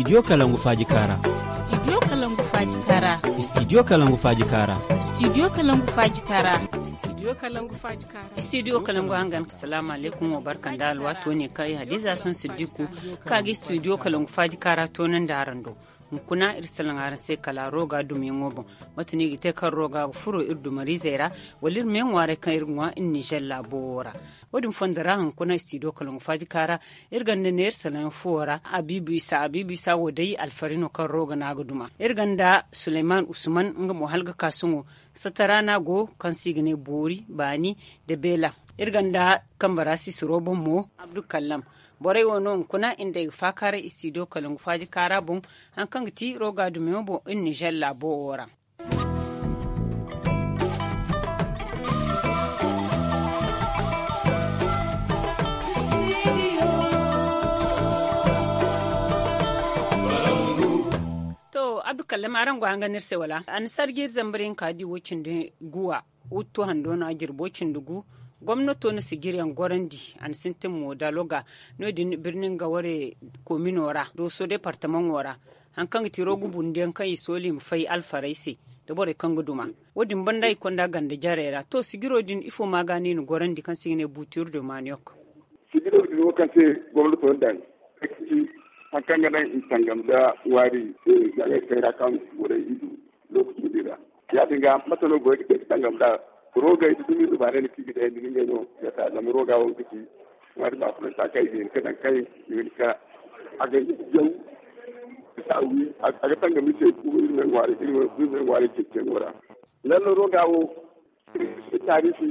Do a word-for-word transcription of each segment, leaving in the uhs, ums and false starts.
Studio kalangu faaji kaara. Studio kalangu faaji kaara. Studio kalangu faaji kaara. Studio kalangu faaji kaara. Studio kalangu faaji kaara. Studio kalangu hangan ka salaamu alaykum wa barka nda alwaato ne kaŋ ay hadiza san siddiku ka ga studio kalangu faaji kaara toonandi araŋ do. Hunkuna iri salaŋ araŋ se kala roga dumiyaŋo boŋ. Mate no i ga te kaŋ roga ga furo iri dumariizey ra wala iri me ŋwaaray kaŋ iri ga ŋwa iri nizer laabo wo ra. Wo- din fondo ra hunkuna studio kalangu faaji kaara iri gonda neera salaŋ fuwo ra abiibu isa abiibu isa wo day alfari no kaŋ roga no a ga duma. Iri gonda suleyman usman nga mo hala ga ka sohõ. Satara no a go kaŋ se i ga ne boori baani nda beela. Iri gonda kambe ra sisiro boŋ mo abdu kallam. Borey wo no hunkuna iri nda ay ga faakaaray studio kalangu faaji kaara boŋ. Hari kaŋ ga ti roga dumiyaŋo boŋ iri nizer laabo wo ra. To abdu kallama araŋ go a nga no iri se wala a na sarji iri zambar yaŋ ka di wo- cindi guwa. Wuttu hando no a jirbo cindi gu. Gomnato na sijiri yaŋ gorandi a na sintin mo daloga. No- din birni nga ware komino ra dooso departamaŋo ra. Hari kaŋ ga ti roga bundiyaŋ kaŋ i sooli i ma fay alfarey se nda borey kaŋ ga duma. Wo- din banda i konda ganda jarey ra to sijiro din ifo ma ga no i na gorandi kaŋ se i ga ne buutiru de maniyok. Sijiro din wo kaŋ se gomnato daŋ hari kaŋ ga naŋ i tangam nda ŋwaari. Zangey kayra kaŋ borey i du lokaci din ra. Ya- din ga mate no borey ga te ga tangam nda roogey da dumi dubaarey no kaŋ i ga dayandi ni ngey no ga ta zama rooga wo ga ci ŋwaari baafunanta kaŋ i ga hin ka daŋ kaŋ i ga hin ka a ga jaw. Bisa wi a ga tangam iri se iri me ŋwaari ceeciyaŋo ra. Lalle rooga wo taariisi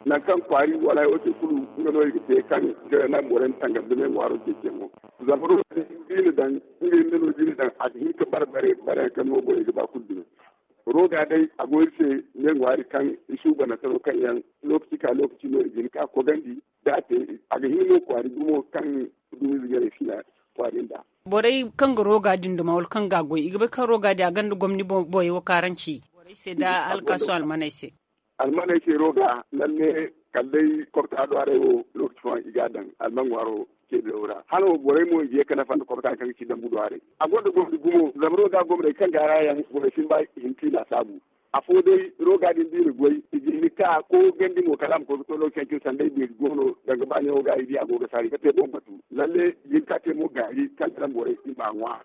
nangu kaŋ kwaari wala wo te kulu nga no i ga te kaŋ ga naŋ borey ma tangam da me ŋwaaro ceeciyaŋo. Zama rooga din da i na daŋ nga hinne no da i na daŋ a ga hin ka bare bare bare yaŋ kaŋ no borey ga ba kulu dumi. Roga day a go iri se ne ŋwaari kaŋ i suubanante no kaŋ yaŋ lokaci ka lokaci no i ga hin ka kogandi. Da a te a ga hin no kwaari gumo kaŋ dumiize jarey si na kwaari nda. Borey kaŋ ga roga din duma wala kaŋ ga a goy i ga bay kaŋ roga din a gonda gomni boyey wo karanci borey se nda alkaaso almaney se. Almaney se roga lalle kala day kobta do haray wo lokaci fooyaŋ i ga a daŋ alman ŋwaaro ceebiyaŋo ra hala wo borey mo i ga ye ga nafa nda kobta kaŋ ga ci dambu do haray. A gonda gomni gumo zama roga gomney kaŋ ga a ra yaŋ borey si ni ba i hin ka i laasaabu. Afo day roga din da i na goy i ga hin ka ko gandi mo kala a ma koy ga to lokaci yaŋ cine sanda ay beeri goono danga ba neewo ga i di a go ga saari ga te boŋ batu. Lalle i ga hin ka te mo gaari kaŋ ga naŋ borey i ma a ŋwa.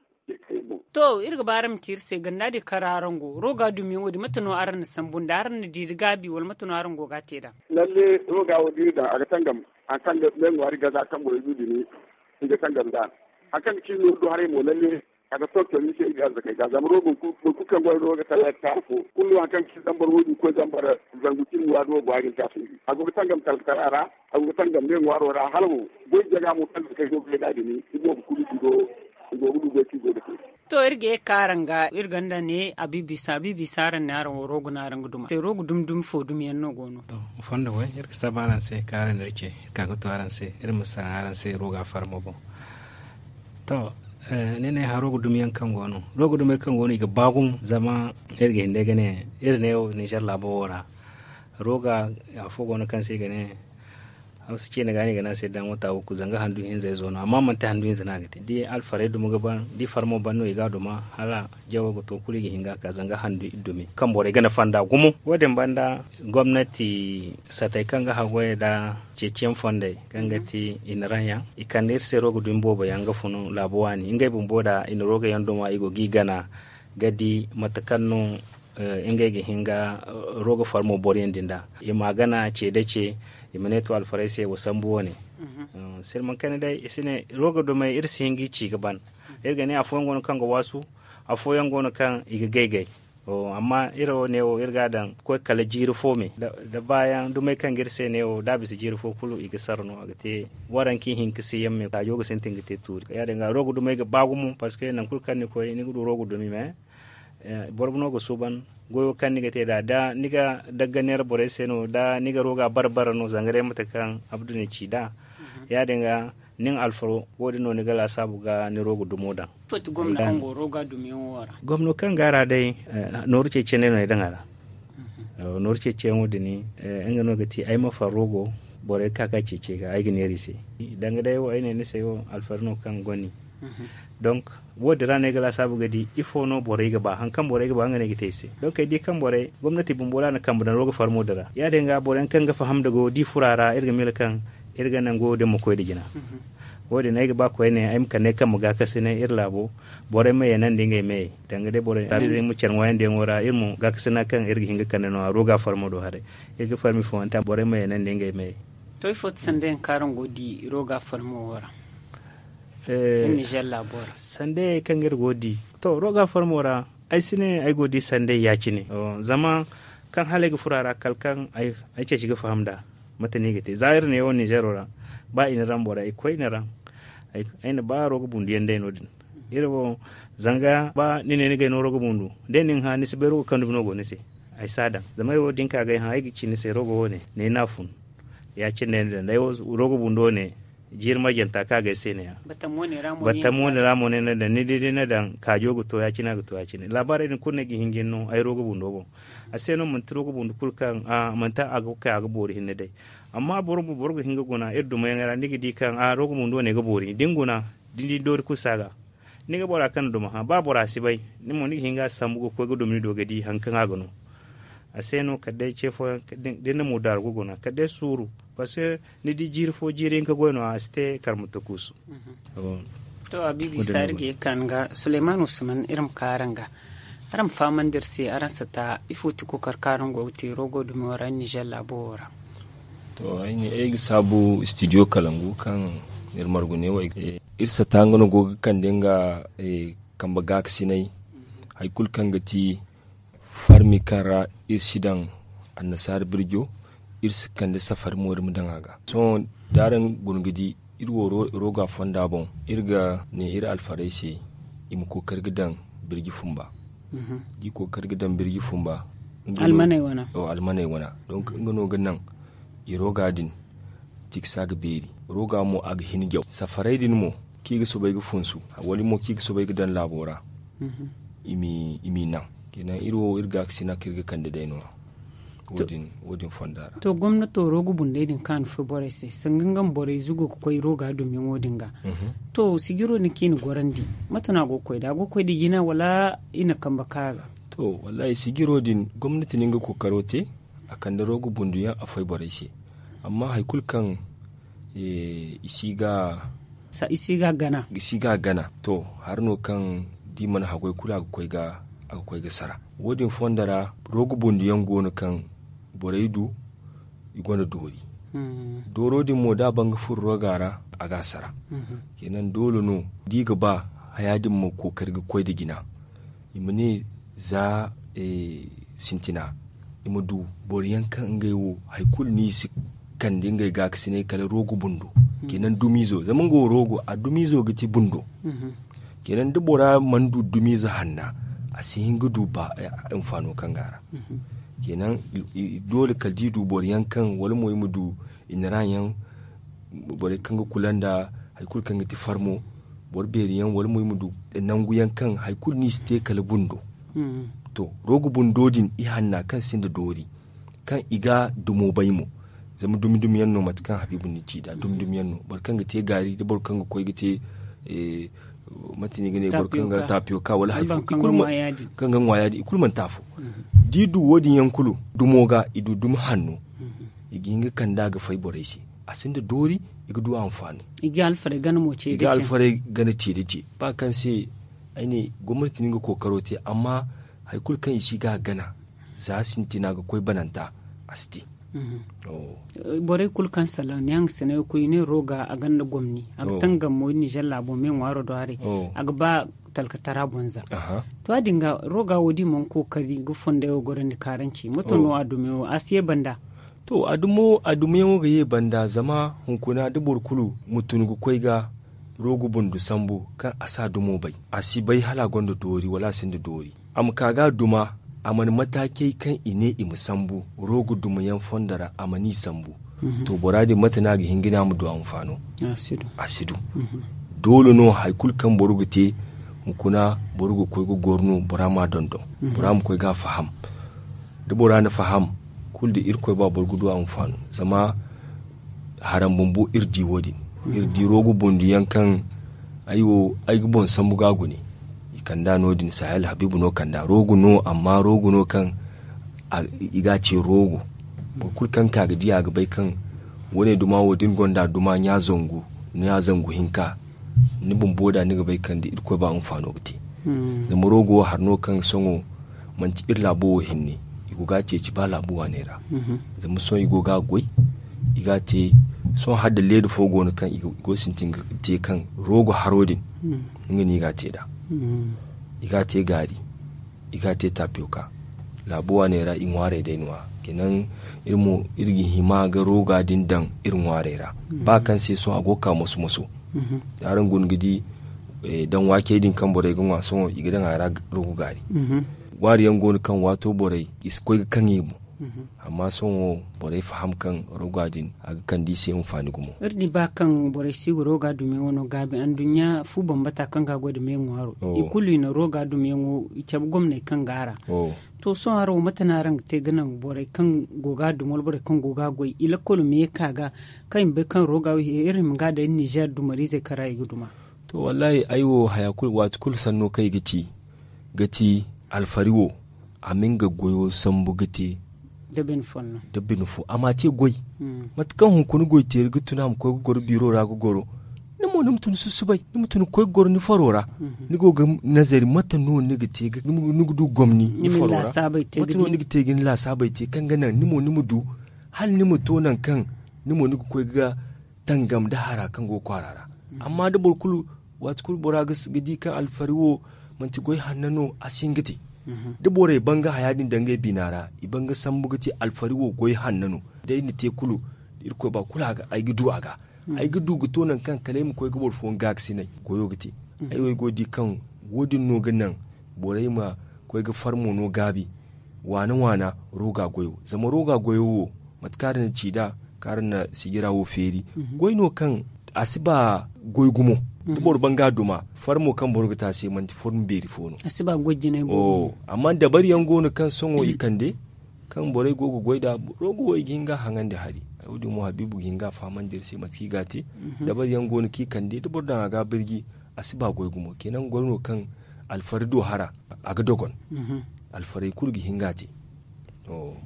To iri ga ba araŋ ma te iri se ganda din kaŋ ra araŋ go roga dumiyaŋo din mate no araŋ na sambu nda araŋ na diiri gaabi wala mate no araŋ go ga a te nd'a? Lalle roga wo da iri daŋ a ga tangam hari kaŋ ga ne ŋwaari gaza kaŋ borey du dumi. I ga tangam nd'a hari kaŋ ga ci nooru do haray mo lalle a ga tonton ni se iri arzakey ga zama roga boro kulu kaŋ gonda roga tala ga taara fo kulu no hari kaŋ ga ci zambar wo- din ga koy zambar zangu cindi waado wo go a ga ni taasi iri a go ga tangam talkara ra. A go ga tangam ne ŋwaaro ra hala wo goy jaga mo kaŋ ga kay go ga yadda din i boobo kulu i go i go ga du goy kaŋ i go ga te. To iri ga ye ga ka araŋ ga iri gonda ne abiibi isa abiibi isa araŋ ne araŋ wo rogo no araŋ ga duma se rogo dumi dumi fo dumi yaŋ no go no. Fondo goy iri ga saba araŋ se kaŋ araŋ na iri ce iri ka ga to araŋ se iri ma sara araŋ se roga farmo boŋ. To ni ne haro ga dumi yaŋ kaŋ go no rogo dumi yaŋ kaŋ go no i ga ba gumo zama iri ga hin day ga ne iri ne ninzeer laabo wo ra. Roga afo go no kaŋ se i ga ne hausa ciine ga no i ga ne a se daŋ wata wukku zanga handu hinza izo no amma manti handu hinza no a ga te da alfarey dumi ga ban da i farmo ban no i ga a duma hala jawo ga to kulu i ga hin ga a ka zanga handu iddumi kaŋ borey ga nafa nd'a gumo. Wo- din banda gomnati satey kaŋ ga haggoyey nda ceeciyaŋ fondey kaŋ ga ti i na raŋ yaŋ i kande iri se roga dumi boobo yaŋ ga fun laabu waani ngey bumbo nda i na roga yaŋ duma i go ga i gana ga di mate kaŋ no ngey ga hin ga roga farmo boro yaŋ din da i ma gana ce da ce. I ma ne to alfarey se wa sambu wane sirman kayna day i si ne roga dumey iri si hin ga i ci ga ban. Iri ga ne afooyaŋ go no kaŋ ga waasu afooyaŋ go no kaŋ i ga gay gay. Amma iri wo ne wo iri ga a daŋ ga koy kala jiiri fo me da baayaŋ dumey kaŋ ga iri se ne wo da a bisa jiiri fo kulu i ga sara no a ga te. Waranka i hin ga se yaŋ me kaajo ga sintin ga te tuuri ya- din ga roga dumey ga ba gumo parceque nangu kulu kaŋ ni koy ni ga du roga dumi me. Boro no ga suuban goyo kaŋ ni ga te nd'a da ni ga dagga neera borey se no da ni ga roga bare bare no zanga day mate kaŋ abdu na ci nd'a. Ya- din ga nin alfaro wo- din no ni ga laasaabu ga ni roga dumo daŋ. Ifo ti gomno kaŋ go roga dumiyaŋo ra? Gomno kaŋ go a ra day nooru ceeciyaŋ day no ay daŋ a ra. Nooru ceeciyaŋo din nga no ga ti ay ma farro go borey ga ka ga ceeci ay ga ay ga neera i se. Danga day wo ay ne ni se wo alfaro no kaŋ go ni Donc, wo- din ra no ay ga laasaabu ga di ifo no borey ga ba hari kaŋ borey ga ba nga no ay ga te i se. Donc ay di kaŋ borey gomnati bumbo ra na kambe daŋ rooga farmo din ra ya- din ga boro yaŋ kaŋ ga faham da go di fura ra iri ga miila kaŋ iri ga naŋ go din ma koy nda jina. Wo- din ay ga ba koyne ay ma kande kambe gaakasinay iri laabo, borey ma yeenandi ngey meyey danga day borey ma care ŋwaayandiyaŋo ra iri mo gaakasina kaŋ iri ga hin ga kande no- ya rooga farmo do haray. Iri ga farmi fooyanta borey ma yeenandi ngey meyey. To ifo ti sanda yaŋ kaŋ araŋ go ga di rooga farmo wo ra? Nizer laabo ra sandayey kaŋ iri go ga di. To rooga farmo ra ay si ne ay go ga di sandayey ya- cine. Zama kaŋ hala ay ga furo a ra kala kaŋ ay ceeci ga faham nd'a. Mate no i ga te za iri neewo ninzeero ra, ba i na raŋ bora i koy i na raŋ. Ay na ba rooga bundu yaŋ day no- din. Iri wo zanga ba ni ne ni gay no rooga bundu, day nin hã ni si bay rooga kaŋ dumi no go ni se. Ay si a daŋ zama ay wo da ni ka ga ay hã ay ga ci ni se rooga wo- ne ni n'a fun. Ya- cine day ni daŋ day wo rooga bundu wo- ne. Jiiri marjanta kaŋ a ga ay se ne- ya. Battam wo- ne ra mo ne ni daŋ ni di day ni daŋ kaajo ga to ya- cine a ga to ya- cine laabaarey din kulu no ay ga hin ga ni no ay rooga bundo boŋ. A se no manti rooga bundu kulu kaŋ manti a ga kay a ga boori hinne day. Amma boro bumbo boro ga hin ga guna iri dumayaŋey ra ni ga di kaŋ a rooga bundo wo- ne ga boori da ni guna da ni di ni doori kulu si a ga. Ni ga bora kaŋ na duma hã ba bora si bay, ni mo ni ga hin ga a sambu ga koy ga duma ni do ga di hari kaŋ a ga no. A se no kala day ce fooyaŋ da ni na mudaaru ga guna kala day suuru. Parce que ni di jiiri fo jiiri hinka goy no- ya a si te karma takuusu. To a biibi saari ga ye ga ka ni ga suleymano siman iri ma ka araŋ ga. Araŋ ma fahamandi iri se araŋ sata ifo ti kookari kaŋ araŋ go ga te roogo dumo ra ninzeer laabo wo ra? To ay ne ay ga saabu studio kalangu kaŋ iri margu ne wo ay ga te. Iri sata nga no go ga kande nga kambe gaakasinay. Hari kulu kaŋ ga ti farmi kaŋ ra iri si daŋ annasaara birjo. Iri si kande safari mo iri ma daŋ a ga sohõ da araŋ guna ga di iri wo rooga fonda boŋ. Iri ga ne iri alfarey se i ma kookari ga daŋ birji fumba. Da i kookari ga daŋ birji fumba almaney wana. Donk nga no ga naŋ i rooga din tiksa ga beeri. Rooga mo a ga hin jaw safarey din mo kaŋ i ga soobay ga funsu wala mo kaŋ i ga soobay ga daŋ laabo ra. I m'i naŋ kenan iri wo iri gaakasina kaŋ iri ga kande day no-ya. Wo- din fonda ra. To gomnato rooga bundey din kaŋ a na fay borey se sanga nga ma borey zugo ga koy rooga dumyaŋo din ga. To sijiro din kaŋ i na gorandi mate no a go ga koy nd'a a go ga koy nda jina wala i na kambe kaŋ a ga? To wallahi sijiro din gomnati na nga kookaro te. A kande rooga bundu yaŋ a fay borey se. Amma hari kulu kaŋ i si ga gana to hari no kaŋ da i mana haggoy kulu a ga koy ga sara. Wo- din fondo ra rooga bundu yaŋ go no kaŋ borey du i gonda doori. Dooro din mo da a ban ga furo rooga ra a ga a sara. Kenan doole no da i ga ba haya din ma kookari ga koy nda jina. I ma ne za sintina i ma du boro yaŋ kaŋ ngey wo hari kulu no i si kande ngey gaakasinay kala roogo bundo. Kenan dumiizo zama nga wo roogo a dumiizo ga ti bundo. Kenan da bora mana du dumiize hanna a si hin ga du ba hinfaano kaŋ go a ra. Kenan doole kala da i du boro yaŋ kaŋ wala mo i ma du i na ra yaŋ borey kaŋ ga kula nda hari kulu kaŋ ga ti farmo boro beeri yaŋ wala mo i ma du nangu yaŋ kaŋ hari kulu no i si te kala bundo. To roogo bundo din i hanna kaŋ sinda doori kaŋ i ga dumo bay mo. Zama dumi dumi yaŋ no mate kaŋ habiibu ni ci nd'a dumi dumi yaŋ no boro kaŋ ga te gaari nda boro kaŋ ga koy ga te mate no i ga ne boro kaŋ ga tapiyoka wala hari fo kaŋ ga ŋwa yaadin i kulu manti afo. Da i du wo- din yaŋ kulu dumo ga i du dumi hanno i ga hin ga kande a ga fay borey se. A sinda doori i ga du a ma faanu. I ga alfarey gana mo ce i ga alfarey gana ce da ce ba kaŋ se ay ne gomnati no nga kookaro te amma hari kulu kaŋ i si ga a gana za sintina ga koy bananta a si te. Borey kulu kaŋ salaŋ ne a nga sanayo koy i ne rooga a ganda gomni a ga tangam mo ninzeer laabo me ŋwaaro do haray. A ga ba talkatara boŋ za to ya- din ga rooga wo- din mana kookari ga fonday wo gorandi kaaranci mato no a dume wo a si ye banda? To a dumo a dumeyaŋo ga ye banda zama hunkuna da boro kulu ma tun ga koy ga roogo bundu sambu kaŋ a si a dumo bay a si bay hala a gonda doori wala a sinda doori. A ma ka ga a duma a mana mataacey kaŋ i ne i ma sambu roogo dumayaŋ fondo ra a mana i sambu. To bora din mate no a ga hin ga ne a ma du a hinfaano? A si du. Doole no hari kulu kaŋ boro ga te hunkuna boro ga koy ga goro no bora ma a dondon bora ma koy ga a faham. Da bora na faham kulu da irkoy ba boro ga du a hinfaano zama haram bumbo iri di wo- din. Iri di roogo bundu yaŋ kaŋ Ay wo ay ga boŋ sambu ga gune. I kand'a no- din sahel habiibu no kand'a roogo no amma roogo no kaŋ i ga a ce roogo. Boro kulu kaŋ ga ka ga di a ga bay kaŋ wane duma wo da ni gonda duma ɲa zangu hinka, ni bumbo da ni ga bay kaŋ da irkoy ba hinfaano ga te. Zama roogo wo hari no kaŋ sohõ manti iri laabo wo hinne. I go ga a ceeci ba laabu waaney ra. Zama sohõ i go ga a goy. I ga a te sohõ hala da leeda fo go no kaŋ i go sintin ga te kaŋ roogo haro din. Nga no i ga a te nd'a. I ga a te gaari. I ga a te tapiyoka. Laabu waaney ra i ŋwaarey day no- ya. Kenan iri mo iri ga hima ga rooga din daŋ iri ŋwaarey ra. Ba kaŋ se sohõ a go ga ka moso moso. Da araŋ guna ga di daŋ waakey din kaŋ borey ga ŋwa sohõ i ga daŋ a ra roogo gaari. Ŋwaari yaŋ go no kaŋ waato borey i si koy ga kaŋ i boŋ. Amma sohõ borey faham kaŋ rooga din a ga kande i se hinfaani gumo. Iri di ba kaŋ borey si ga rooga dumiyaŋo no gaabi anduɲɲa fu bambata kaŋ ga a goy nda me ŋwaaro i kulu i na rooga dumiyaŋo i cabe gomney kaŋ go a ra. To sohõ haro wo mate no araŋ ga te ga naŋ borey kaŋ go ga a dumi wala borey kaŋ go ga a goy i lakkolo ma ye ka ga kaŋ i ma bay kaŋ rooga wo iri hima ga a daŋ iri ninzeer dumariizey kaŋ ra i ga duma? To wallaahi ay wo haya kulu waati kulu sanno kaŋ i ga ci ga ti alfari wo a ma nga goyo sambu ga te. Da bine fo a ma a te goy. Mate kaŋ hunkuna goy teeri ga tun a ma koy ga goro biiro ra ga goro. Ni mo ni ma tun susubay ni ma tun ga koy ga goro ni faro ra. Ni go ga nazari mate no ni ga te ni ga du gomni ni faro ra. Mate no ni ga te ga ni laasaabey te kaŋ ga naŋ ni mo ni ma du hala ni ma to nangu kaŋ ni mo ni ga koy ga tangam nda hara kaŋ go ga kwaara ra. Amma da boro kulu waati kulu bora ga di kaŋ alfari wo manti goy hanna no a si hin ga te. Da borey ban ga haya din daŋ ngey bina ra i ban ga sambu ga te alfari wo goy hanna no. Day ni te kulu irkoy ba kulu ay ga du a ga ay ga du ga to nangu kaŋ kala ay ma koy ga boro fooyaŋ gaakasinay goyo ga te. Ay wo ay go ga di kaŋ wo- din no ga naŋ borey ma koy ga farmo no gaabi waana waana rooga goyo zama rooga goyo wo mate kaŋ a daŋ na ci nd'a kaŋ araŋ na sijira wo feeri. Goy no kaŋ a si ba goy gumo da boro ban ga a duma farmo kaŋ boro ga te a se manti forma beeri fo no. Amma dabari yaŋ go no kaŋ sohõ i kande kaŋ borey go ga goy nd'a roogo wo i ga hin ga a haŋandi hari. Wo- din mo habiibu ga hin ga a fahamandi iri se mate kaŋ i ga a te. Dabari yaŋ go no kaŋ i kande da boro daŋ a ga a birji a si ba goy gumo kenan goy no kaŋ alfari do hara a ga dogon. Alfarey kulu ga hin ga a te.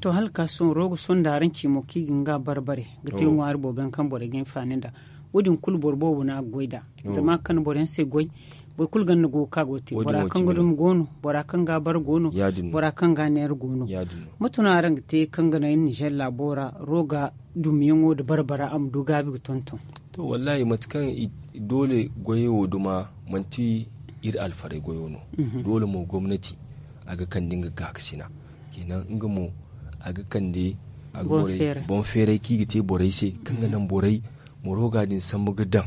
To hala ga ka sohõ rogo sonda araŋ ci mo kaŋ i ga hin ga a bare bare ga te ŋwaari boobo yaŋ kaŋ borey ga hinfaani nd'a. Wo- din kulu boro boobo no a ga goy nd'a zama a ga kande boro yaŋ se goy. Boro kulu ganda go ga ka go ga te bora kaŋ ga dumi go no bora kaŋ ga a bare go no. Bora kaŋ ga a neera go no. Mate no araŋ ga te kaŋ ga naŋ iri ninzeer laabo ra roga dumiyaŋo nda bare bare a ma du gaabi ga tonton? To wallaahi mate kaŋ doole goyey wo duma manti iri alfarey goyo no. Doole mo gomnati a ga kande nga gaakasina. Kenan nga mo a ga kande boŋ feeray kaŋ i ga te borey se kaŋ ga naŋ borey ma rooga din sambu ga daŋ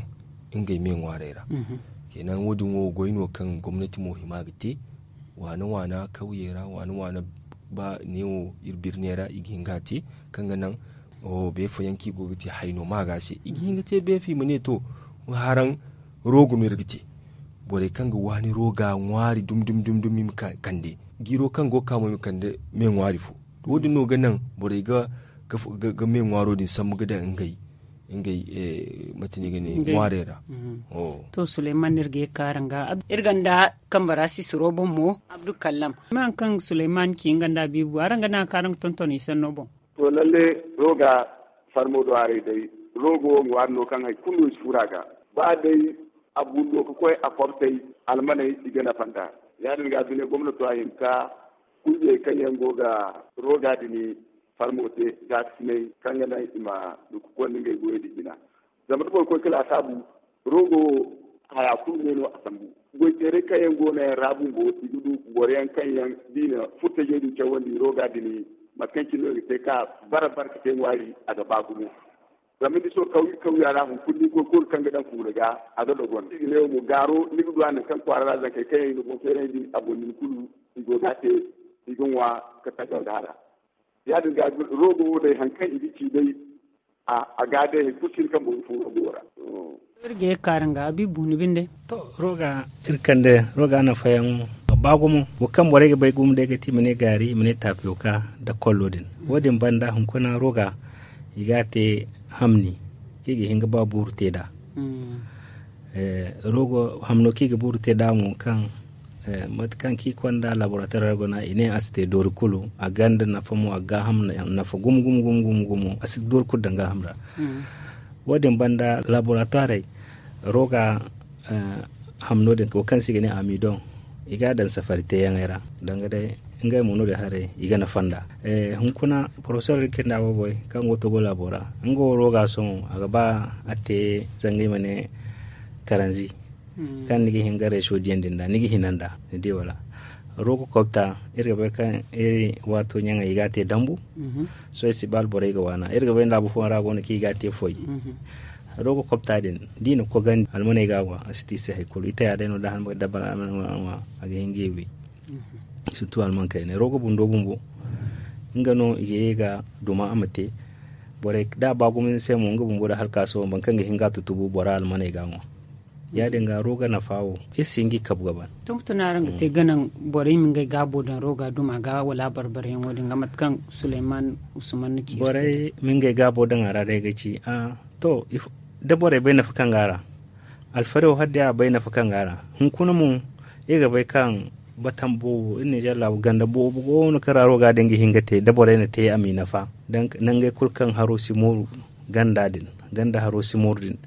ngey me ŋwaarey ra. Kenan wo- din wo goy no kaŋ gomnati mo hima ga te waana waana kawyey ra waana waana ba neewo iri birney ra i ga hin ga a te kaŋ ga naŋ beefa yaŋ kaŋ i go ga te hayno maaga se i ga hin ga te beefa i ma ne to haraŋ roogo no iri ga te. Borey kaŋ ga waani rooga ŋwaari dumi dumi dumi i ma kande jiiro kaŋ go ga ka mo i ma kande me ŋwaari fo. Wo- din no ga naŋ borey ga me ŋwaaro din sambu ga daŋ ngey ngey mate no i ga ne ŋwaarey ra. To suleyman no iri ga ye ga ka araŋ ga iri ganda kambe ra sisiro boŋ mo abdu kallam ma hari kaŋ suleyman ci nga nda a biibu araŋ ga naŋ a kaŋ araŋ ga tonton i sanno boŋ. To lalle rooga farmo do haray day roogo wo ŋwaari no kaŋ hari kulu no i si furo a ga ba day a bundo ga koy a kobtay almaney i ga nafa nd'a. Ya- din ga bine gomnato a hin ka kungiyey kaŋ yaŋ go ga rooga din farmo te gaakasinay kaŋ ga naŋ i ma du ga konda ngey goyey din jina. Zama da boro koy ga laasaabu roogo wo haya kulu me no a sambu. Goyteerey kaŋ yaŋ go no yaŋ ra bumbo i ga du boro yaŋ kaŋ yaŋ da i na furtajey din cawandi rooga din mate kaŋ cine no i ga te ka bara bara ka te ŋwaari a ga ba gumo. Zama ni sohõ kawya kawya ra hunkuna ni koy kulu kaŋ ga daŋ fuula ga a ga dogon i ga ne wo mo gaaro ni ga du a nangu kaŋ kwaara ra zankey kaŋ yaŋ i na boŋ feerandi a boŋ nin kulu i go ga a te i ga ŋwa ka taga nda hara. Ya- din ga roogo wo day hari kaŋ i ga ci day a ga day hari kulu si hin kaŋ boro ga fun roogo wo ra. Iri ga ye ga kaaran ga a bi buuni binde. To rooga iri kande rooga nafayaŋo a ba gumo wo kaŋ borey ga bay gumo day ga ti i ma ne gaari i ma ne tapiyoka nda kollo din. Wo- din banda hunkuna rooga i ga a te hamni kaŋ i ga hin ga ba buuru te nd'a. Rogo hamno kaŋ i ga buru te nd'a mo kaŋ mate kaŋ kaŋ i konda laborator ra guna i ne a si te doori kulu a gonda nafa mo a ga gaaham nafa gumo gumo gumo gumo a si doori kulu daŋ gaaham ra. Wo- din banda laborator roga hamno din wo kaŋ se i ga ne amidon i ga a daŋ safari teeyaŋey ra danga day ngey mo no- din haray i ga nafa nd'a. Hunkuna porofesor din kaŋ i nda a boy kaŋ go togo laabo ra nga wo roga sohõ a ga ba a te zanga i ma ne karanzi kaŋ ni ga hin ga reeso diyandi nd'a ni ga hina nd'a ni di wala? Roga kobta iri ga bay kaŋ iri waato ɲaŋey i ga a te dambu. Sohõ ay si ba alborey ga waana iri ga bay laabu fooyaŋ ra go no kaŋ i ga a te foy. Roga kobta din da i na kogandi almaney ga a ŋwa a si te i se hari kulu i taya day no da a ga hin ga i wi. Surtu alman kayna roga bundo bumbo nga no i ga ye ga duma a ma te. Borey da a ba gumo ni se mo nga bumbo da halkaaso boro kaŋ ga hin ga a tutubu bora almaney ga a ŋwa. Ya- din ga roga nafa wo iri si hin ga i kabu ga ban. Tongu tun araŋ ga te ga naŋ borey ma ngey gaabo daŋ roga duma ga wala a barbarayaŋo din ga mate kaŋ suleyman usman na ci iri se borey ma ngey gaabo daŋ a ra day ga ci a to da borey bay nafa kaŋ go a ra. Alfari wo hala day a bay nafa kaŋ go a ra. Hunkuna mo iri ga bay kaŋ batam boobo iri ninzeer laabu ganda boobo go no kaŋ ra roga din ga hin ga te da borey na te a m'i nafa. Nangey kulu kaŋ haro si mooru ganda din ganda haro si mooru din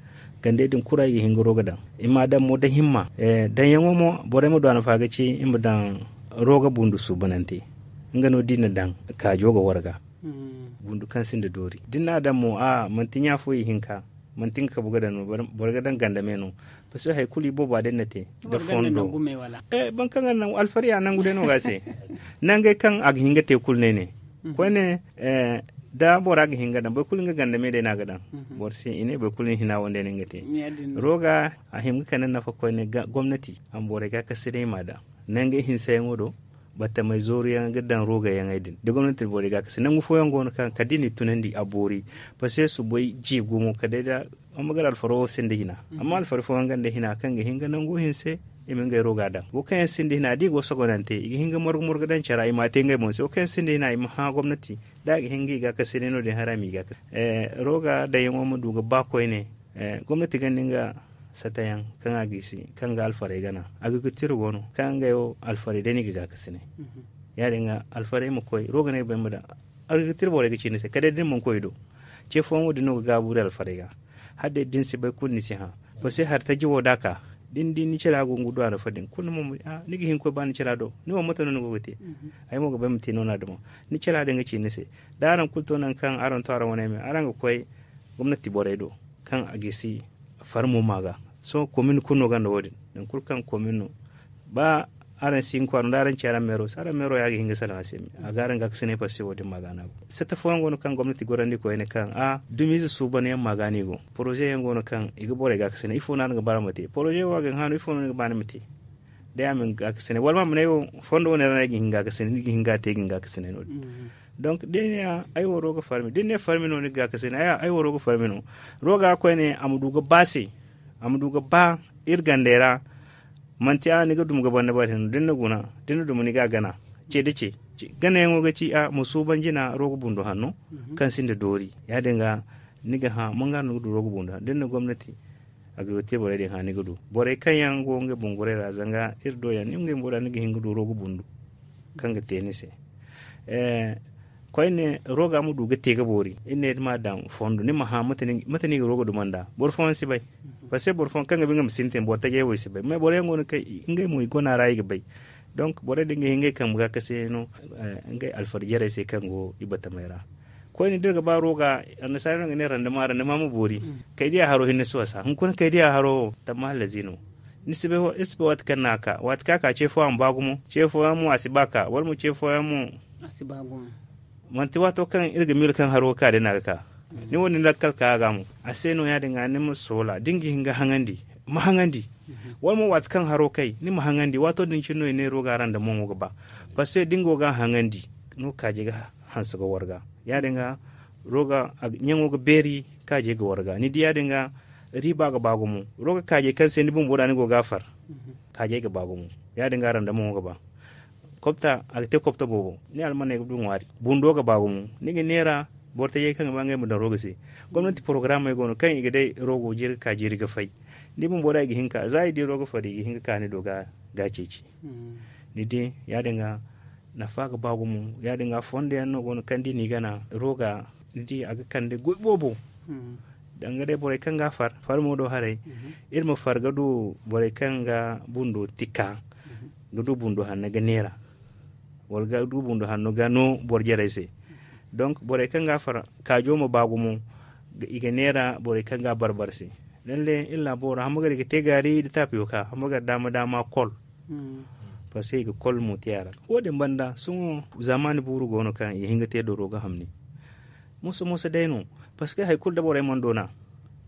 gandey din kulu i ga hin ga roga daŋ. I m'a daŋ mo da himma daŋyaŋo mo borey ma du a nafa ga ci i ma daŋ roga bundu suubanante. Nga no da i na daŋ kaajo ga warga bundu kaŋ sinda doori da ni n'a daŋ mo a manti ɲa fo i hinka. Manti nga kabu ga daŋ no boro ga daŋ gandame no. Paske hari kulu i booba day na te da fondo. Boro kaŋ ga naŋ alfariya nangu day no ga a se. Nangey kaŋ a ga hin ga te kulu no ay ne koyne da bora ga hin ga daŋ boro kulu nga gandame day no a ga daŋ. Boro se i ne boro kulu ni hina wo day no nga te. Roga a hima ga kande nafa koyne gomnati a ma borey ga a kase day m'a daŋ nangey hinsayaŋo do. Battamey zooruyaŋ ga daŋ rogayaŋey din da gomnati borey ga a kase nangu fooyaŋ go no kaŋ kala da i n'i tunandi a boori. Paske soobay ji gumo kala day da amma gara alfaro wo sinda hina. Amma alfaro fooyaŋ gonda hina kaŋ ga hin ga nangu hinse i ma ngey roga daŋ wo kaŋ yaŋ sinda hina da i go sogonante i ga hin ga morgu morgu daŋ care i m'a te ngey boŋ se wo kaŋ yaŋ sinda hina i ma hã gomnati da a ga hin ga i ga a kase day no- din haray a m'i ga a kase. Roga daŋyaŋo ma du ga ba koyne. Gomnati gonda nga satayaŋ kaŋ a gisi kaŋ ga alfarey gana. Agriculture go no kaŋ ngey wo alfarey day no i ga gaakasinay. Ya- din ga alfarey ma koy roga no ay bay ma daŋ. Agriculture borey ga ci ni se kala day da ni mana koy i do. Ce fooyaŋ wo- din no ga gaabu iri alfarey ga. Hala day da ni si bay kulu ni si hã. Paske hari taji wo da a ka da ni di ni cara go ga du a nafa din kulu ni ga hin ga koy ba ni cara do ni wo mate no ni go ga te? Ay mo ga bay ma te no- ni a duma. Ni cara din ga ci ni se da araŋ kulu to nangu kaŋ araŋ to araŋ wane me araŋ ga koy gomnati borey do kaŋ a gisi farmo ma ga. Sohõ komin kulu no gonda wo- din nangu kulu kaŋ komin no ba araŋ si hin kwaara no da araŋ ci araŋ meero se araŋ meero ya ga hin ga salaŋ a se me a ga araŋ ga a ga si ne passe wo- din ma ga no a go. Satta fooyaŋ go no kaŋ gomnati gorandi koyne kaŋ a dumiize suuban yaŋ ma ga no i go. Poroze yaŋ go no kaŋ i ga borey ga a ga si ne ifo no araŋ ga ba araŋ ma te poroze wo a ga hin hano ifo no ni ga ba ni ma te? Day a ma hin ga a ga si ne wala ma ma ne ay wo fondo wane ra no ay ga hin ga a ga si ne ni ga hin ga a te ay ga hin ga a ga si ne no- din. Donk da ay ne ay wo roga farmi da ni ne farmi no ni ga gaakasinay ay wo roga farmi no. Roga koyne a ma du ga ba se a ma du ga ba iri gandey ra. Manti a ni ga duma ga banda bari hinne da ni na guna da ni na duma ni ga a gana. Ce da ce ganayaŋo ga ci a ma suuban jina roga bundu hanno kaŋ sinda doori. Ya- din ga ni ga hã manga no ni ga du roga bundu hanno da ni na gomnati a ga te borey din hã ni ga du borey kaŋ yaŋ go ngey bumborey ra zanga iri do yaŋ ni ngey bumborey ra ni ga hin ga du roga bundu kaŋ ga te ni se. Koyne roga ma du ga te ga boori iri ne ni ma daŋ fondo ni ma hã mate no i ga roga duma nd'a boro fooyaŋ si bay. Paske boro fooyaŋ kaŋ ga ba ngey ma sintin boro tajey wo i si bay mais boro yaŋ go no kaŋ ngey mo i gona ra i ga bay. Donk borey din ga hin ngey kambe ga kase no ngey alfarjarey se kaŋ go i batamey ra. Koyne da iri ga ba roga annasaara no ga ne randama randama ma boori. Kaydiya haro hinne si wasa hunkuna kaydiya haro wo tamma hallazi no. Ni si bay waati kaŋ no a ka waati kaŋ a ka ce fooyaŋ a ma ba gumo ce fooyaŋ mo a si ba ka wala mo ce fooyaŋ mo a si ba gumo. Manti waato kaŋ iri ga miila kaŋ haro ga ka day no a ga ka. Ni wo ni lakkal ka a ga mo a se no ya- din ga ni ma soola da ni ga hin ga haŋandi ma haŋandi. Wala mo waati kaŋ haro kay ni ma haŋandi waato din cine no i ne roga randa moŋo ga ba. Paske da ni go ga a haŋandi no kaaje ga hanse ga warga ya- din ga roga ɲaŋo ga beeri kaaje ga warga ni di ya- din ga. Riiba ga ba gumo roga kaaje kaŋ se ni bumbo da ni go ga a far. Kaajey ga ba gumo ya- din ga randa moŋo ga ba. Kobta a ga te kobta boobo ni almaney ga du ŋwaari bundo ga ba gumo ni ga neera. Boro tajey kaŋ ga ba ngey ma daŋ rooga se. Gomnanti porogaraamey go no kaŋ i ga day roogo jiiri ga ka jiiri ga fay. Ni bumbo da i ga hin ka za i di rooga fari i ga hin ga ka ni do ga ceeci. Ni di ya- din ga nafa ga ba gumo. Ya- din ga fondo yaŋ no go no kaŋ da i n'i gana rooga ni di a ga kande goy boobo. Danga day borey kaŋ ga a far farmo do haray, iri ma far ga du borey kaŋ ga bundo tika ga du bundo hanno ga neera, wala ga du bundo hanno ga no boro jarey se. Donk borey kaŋ ga a far kaajo ma ba gumo. I ga neera borey kaŋ ga a barbar se. Lalle iri laabo ra hamma gar i ga te gaari nda taapiyo ka hamma gar daama daama kol. Parce que i ga kol mo te a ra. Wo- din banda sohõ zaamaani buuru go no kaŋ i ga hin ga te doro ga hamni. Moso moso day no. Parce que hari kulu da borey mana doona.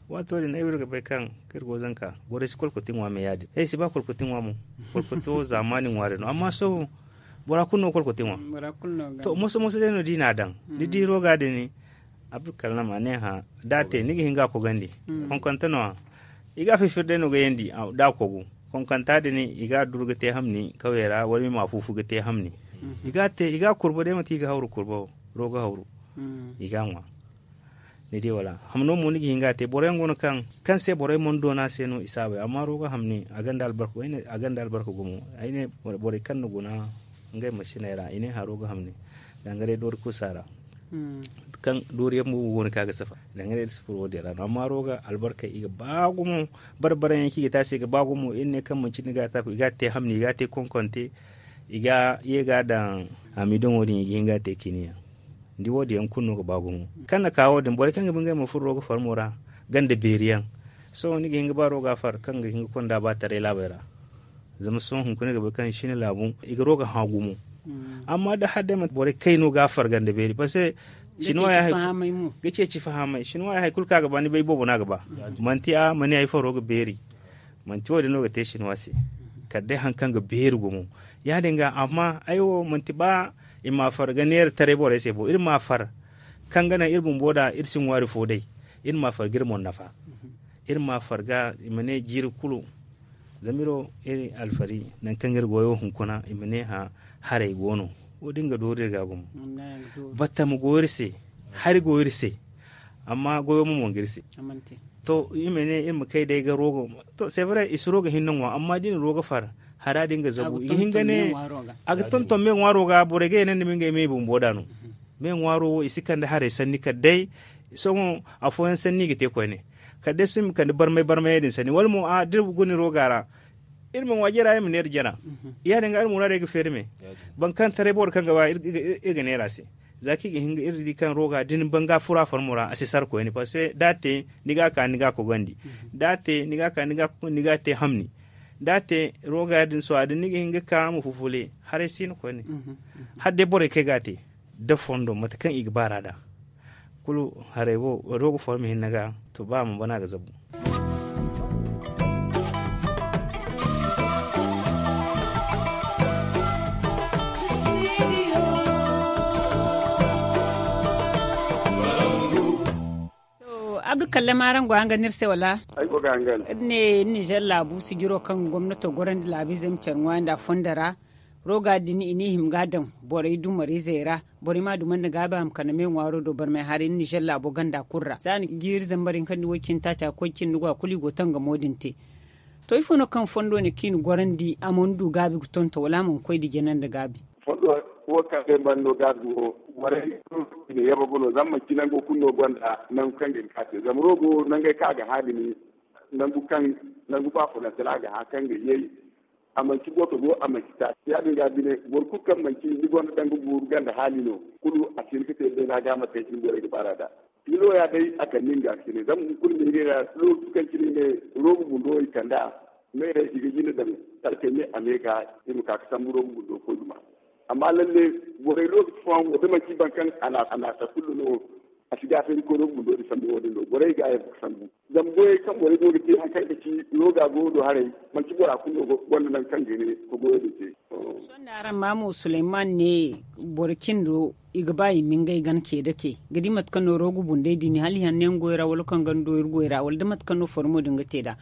Waato din ay wo iri ga bay kaŋ kaŋ iri go zanka borey si kolkoti ŋwa me ya- din ay si ba kolkoti ŋwa mo. Kolkoto zaamaani ŋwaari no amma sohõ bora kulu no kolkoti ŋwa. To moso moso day no da i n'a daŋ ni di rooga din. Abdulkalam a ne hã da a te ni ga hin ga a kogandi. Konkanta no- ya i ga a fifir day no ga yandi da a kogu. Konkanta din i ga a duru ga te hamni kawey ra wala i ma a fuufu ga te hamni. I ga a kurba day manti i ga hawru kurba wo rooga hawru. I ga a ŋwa. Ni di wala hamno mo ni ga hin ga a te boro yaŋ go no kaŋ se borey mana doona se no i saabay amma rooga hamni a gonda albarka gumo. Ay ne borey kaŋ na guna ngey masiney ra i ne haro ga hamni. Danga day doori kusa ra kaŋ doori yaŋ bumbo go no kaŋ a ga safa. Danga day da sufuro wo- din ra no amma rooga albarkey i ga ba gumo. Barbaraŋ yaŋ kaŋ i ga te a se i ga ba gumo iri ne kaŋ manci ni ga a te hamni i ga a te konkonte. I ga ye ga a daŋ hamidoŋo din i ga hin ga a te ciini yaŋ. Ni di wo- din yaŋ kulu no ga ba gumo kaŋ na ka wo- din borey kaŋ ga ba ngey ma furo rooga farmo ra ganda beeri yaŋ. Sohõ ni ga hin ga ba rooga far kaŋ ga hin ga konda ba taray laabey ra. Zama sohõ hunkuna ay ga bay kaŋ sina laabu i ga rooga hã gumo. Amma da hala day manti borey kayno ga a farga nda beeri parce que ga ceeci fahamay shinwa ya hari kulu kaŋ a ga ba ni bay boobo no a ga ba. Manti a ma ne ay faro ga beeri. Manti wo- din no ga te shinwa se. Kala day hari kaŋ ga beeri gumo ya- din ga amma ay wo manti ba i ma a farga neera taray borey se bo iri ma a far kaŋ ga naŋ iri bumbo da iri si ŋwaari fo day. Iri ma a farga iri moŋ nafa. Iri ma a farga i ma ne jiiri kulu. Zama iri wo iri alfari nangu kaŋ iri goyo hunkuna i ma ne hã haray go no. Wo- din ga doori iri ga gumo. Batta ma go iri se. Hari go iri se. Amma goyo mo mo ga iri se. To iri ma ne iri ma kay day ga roogo. To c'est vrai i si roogo hinne ŋwa amma da i na roogo far hara din ga zabu i ga hin ga ne. A ga tonton me ŋwaaro ga borey ga yaŋ naŋ da ma ngey me bumbo da no. Me ŋwaaro wo i si kande haray sanni kala day sohõ afooyaŋ sanni i ga te koyne. Kala day sohõ i ma kande barmay barmayey din sanni wala mo a da iri guna rooga ra. Iri ma ŋwa jara iri ma neera jara. Ya- din ga iri muraadey ga feeri me. Boro kaŋ taray boro kaŋ ga ba iri ga neera se. Za kaŋ i ga hin ga iri di kaŋ rooga da ni ban ga furo a farmo ra a si sara koyne parce que da a te ni ga a ka ni ga a kogandi. Da a te ni ga a ka ni ga a kogandi ni ga a te hamni. Da a te rooga din sohõ a din ni ga hin ga ka ma fufule. Haray si no koyne. Hala day borey kaŋ ay ga a te da fondo mate kaŋ i ga baar'a da. Kulu haray wo rooga foro ma hinne ga. To ba a mana bana a ga zabu. Abdu kallama araŋ go hangan iri se wala? Iri ne nizer laabu sijiro kaŋ gomnato gorandi laabiizey ma care ŋwaari nda a fondo ra. Roga din i n'i hima ga a daŋ borey dumariizey ra. Borey m'a dumandi gaabi a ma kande me ŋwaaro do barmay haray nizer laabo ganda kulu ra za ni jiiri zambar hinka nda way cindi taaca ga koy cindi ga kulu i go tangamo din te. To ifo no kaŋ fondo ne kaŋ i na gorandi a mana du gaabi ga tonton wala a mana koy da jana nda gaabi? Fondo wo kaŋ se mana no gaabi wo, borey kulu i na yabagu no zama manti nango kulu no gonda nangu kaŋ ga hin ka te zama rogo nangey kaŋ a ga haalimi. Nangu kaŋ nangu ba fulaŋ tana a ga hã kaŋ ga yay. A manci boto go a manci taasi ya- din ga bine boro kulu kaŋ manci ni gonda danga guuru ganda haali no. Kulu a si hin ga te beena ga a ma te cine borey ga baar'a da. Ni nooya day a kande nga cine zama hunkuna me ngey ra lootu kaŋ cine ngey roobu bundo i kand'a. Meerey i ga jina daŋ talkey me a me ga i ma ka ga sambu roobu bundo koy duma. Amma lalle borey lookaci fooyaŋ wo da manci boro kaŋ a naasa kulu no. A si gaafeeri koy roobu bundo din sambu wo- din do borey ga a yabbu ga sambu. Zama goyey kaŋ borey go ga te hari kaŋ ga ci rooga goyo do haray manti bora kulu no gonda nangu kaŋ ga ne ka goyo din te. Sohõ da araŋ ma mo suleyman ne boro cindo i ga ba i ma ngey gana ce dake ga di mate kaŋ no roogu bundey din hala i hanno yaŋ goy ra wala kaŋ ganda do iri goy ra wala da mate kaŋ no formo din ga te nd'a.